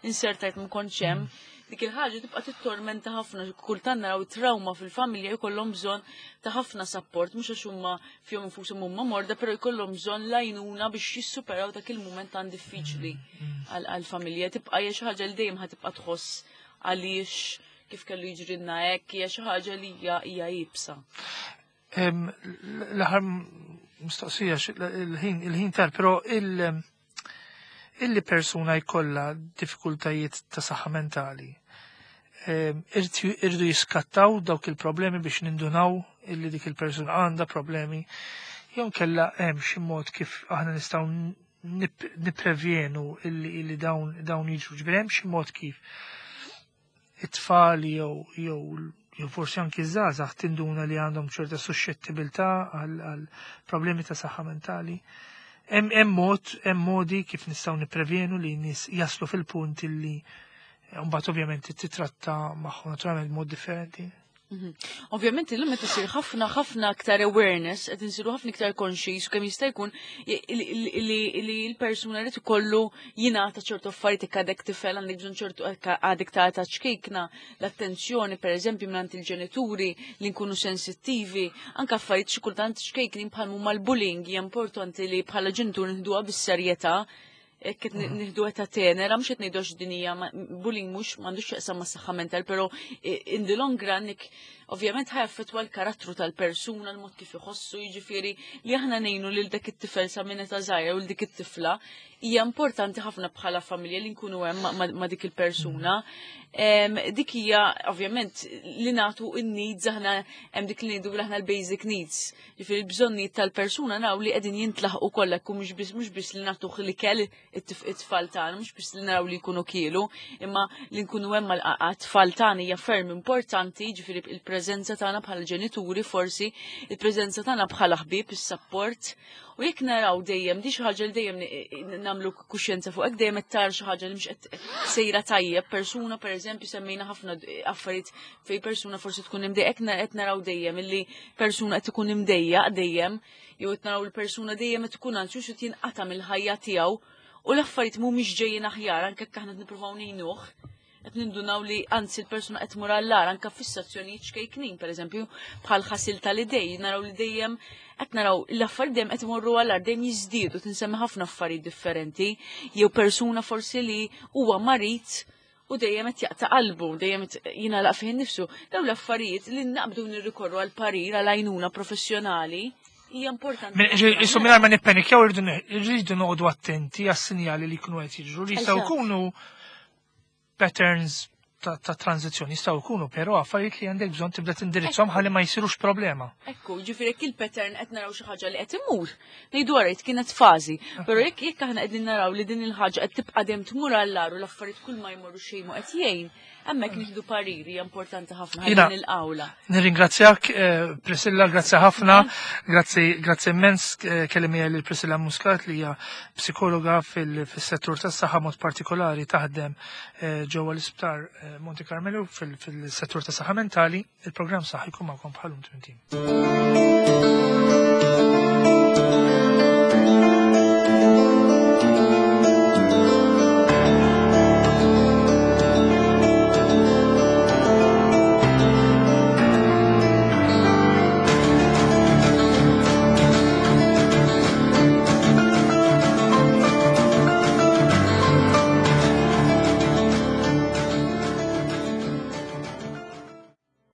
insertajt ma kontx hemm. Dik il-ħaġa tibqa' tittormenta ħafna, kultant naraw trauma fil-familja jkollhom bżonn ta' ħafna support, mhux għax huma fihom infushom huma morda, però jkollhom bżonn lajnuna biex jissuperaw dak il-mument tan diffiċli għall-familja. Tibqa' hija xi ħaġa li dejjem ħa tibqa' tħoss għaliex kif kellu jiġrilna hekk, hija xi ħaġa li hija iebsa. L-aħħar mistoqsija il-ħin tar, però illi persuna jkollha diffikultajiet ta' saħħa mentali, irdu jiskattaw dawk il-problemi biex nindunaw illi dik il-persuna għandha problemi, jew kella hemm xi mod kif aħna nistgħu nipprevjenu illi dawn jiġru. Ġifieri hemm xi mod kif it-tfal jew forsi anki żgħażagħ tinduna li għandhom ċerta suscettibilità għal problemi ta' saħħa mentali. Hemm mod, hemm modi kif nistgħu nipprevjenu li nies jaslu fil-punt illi mbagħad ovvjament titratta magħhom naturalment mod differenti. Ovvjament illum qed isir ħafna ħafna aktar awareness, qed insiru ħafna iktar conscious kemm jista' jkun li l-persuna li ikollu jingħata ċertu affarijiet jekk għadek tifel għandek bżonn ċertu għadek ta' ta' ċkejkna l-attenzjoni pereżempju mingħand il-ġenituri li nkunu sensittivi, anke affarijiet xi kultant ċkejknin bħal huma l-bullying hija importanti li bħala ġenitur nieħduha bis-serjetà. Hekk qed nieħdu ta' tenera, mhux qed ngħidu għax din hija bullying mhux m'għandux x'jaqsam mas-saħħa mental, però in the long run ovvjament ħa jaffettwa l-karattru tal-persuna, l-mod kif iħossu, jiġifieri li aħna ngħinu lil dak it-tifel sa minn età żgħira u dik it-tifla hija importanti ħafna bħala familja li nkunu hemm ma' dik il-persuna. Dik hija ovvjament li nagħtu n-needs aħna hemm dik li ngħidu aħna l-basic needs. Jiġifieri l-bżonnijiet tal-persuna naraw li qegħdin jintlaħqu kollha, jkun mhux biss li nagħtuh l-ikel it-tfal tagħna, mhux biss li naraw li jkunu kielu, imma li nkunu hemm mal-tfal tagħna hija ferm importanti, jiġifieri il-preżenza tagħna bħala ġenituri forsi, il-preżenza tagħna bħala ħbieb, is-support. U jekk naraw dejjem, di xi ħaġa li dejjem nagħmlu kuxjenza fuq hekk, dejjem qed tara xi ħaġa li mhux qed sejra tajjeb, persuna pereżempju semmejna ħafna affarijiet fej persuna forsi tkun imdejja, hekk qed naraw dejjem illi persuna qed ikun imdejja dejjem, jew qed naraw il-persuna dejjem qed ikun anzjuż qed jinqata' mill-ħajja tiegħu u l-affarijiet mhumiex ġejjin aħjar anke jekk aħna qed nippruvaw ngħinuh. Qed nindunaw li anzi l-persuna qed tmur għall-agħar anke fissazzjonijiet ċkejknin, pereżempju bħal ħasil tal-idej, naraw li dejjem qed naraw l-affarijiet dejjem qed imorru għall-agħar, dejjem jiżdiedu, tinsemmi ħafna affarijiet differenti, jew persuna forsi li huwa marid u dejjem qed jaqta' qalbu, dejjem qed jingħalaq fih innifsu. Dawn l-affarijiet li naqbdu nirrikorru għal parir għal għajnuna professjonali hija importanti. Issu mingħajr ma nippenikjaw irridu noqogħdu attenti għas-sinjali li jkunu qed jiġru li jistgħu jkunu patterns ta' tranzizzjoni jistgħu jkunu, però affarijiet li għandek bżonn tibda tindirizzhom ħalli ma jsirux problema. Ekku, ġifieri jekk il-pattern qed naraw xi ħaġa li qed imur, ngħidu għarajt kienet fażi, però jekk aħna qegħdin naraw li din il-ħaġa qed tibqa' dejjem tmur għall-agħar u l-affarijiet kull ma jmorru xejn mu qed jgħin, hemmhekk nieħdu pariri hija importanti ħafna ħalli Jiena nilqawla. Nirringrazzjak, Priscilla, grazzi ħafna, grazzi, grazzi immens, kelli miegħi lil Priscilla Muscat li hija psikologa fis-settur tas-saħħa mod partikolari taħdem ġewwa l-isptar Monte Carmelo fil-settur tas-saħħa mentali. Il-programm Saħħa jkun magħkom bħalum tmintin.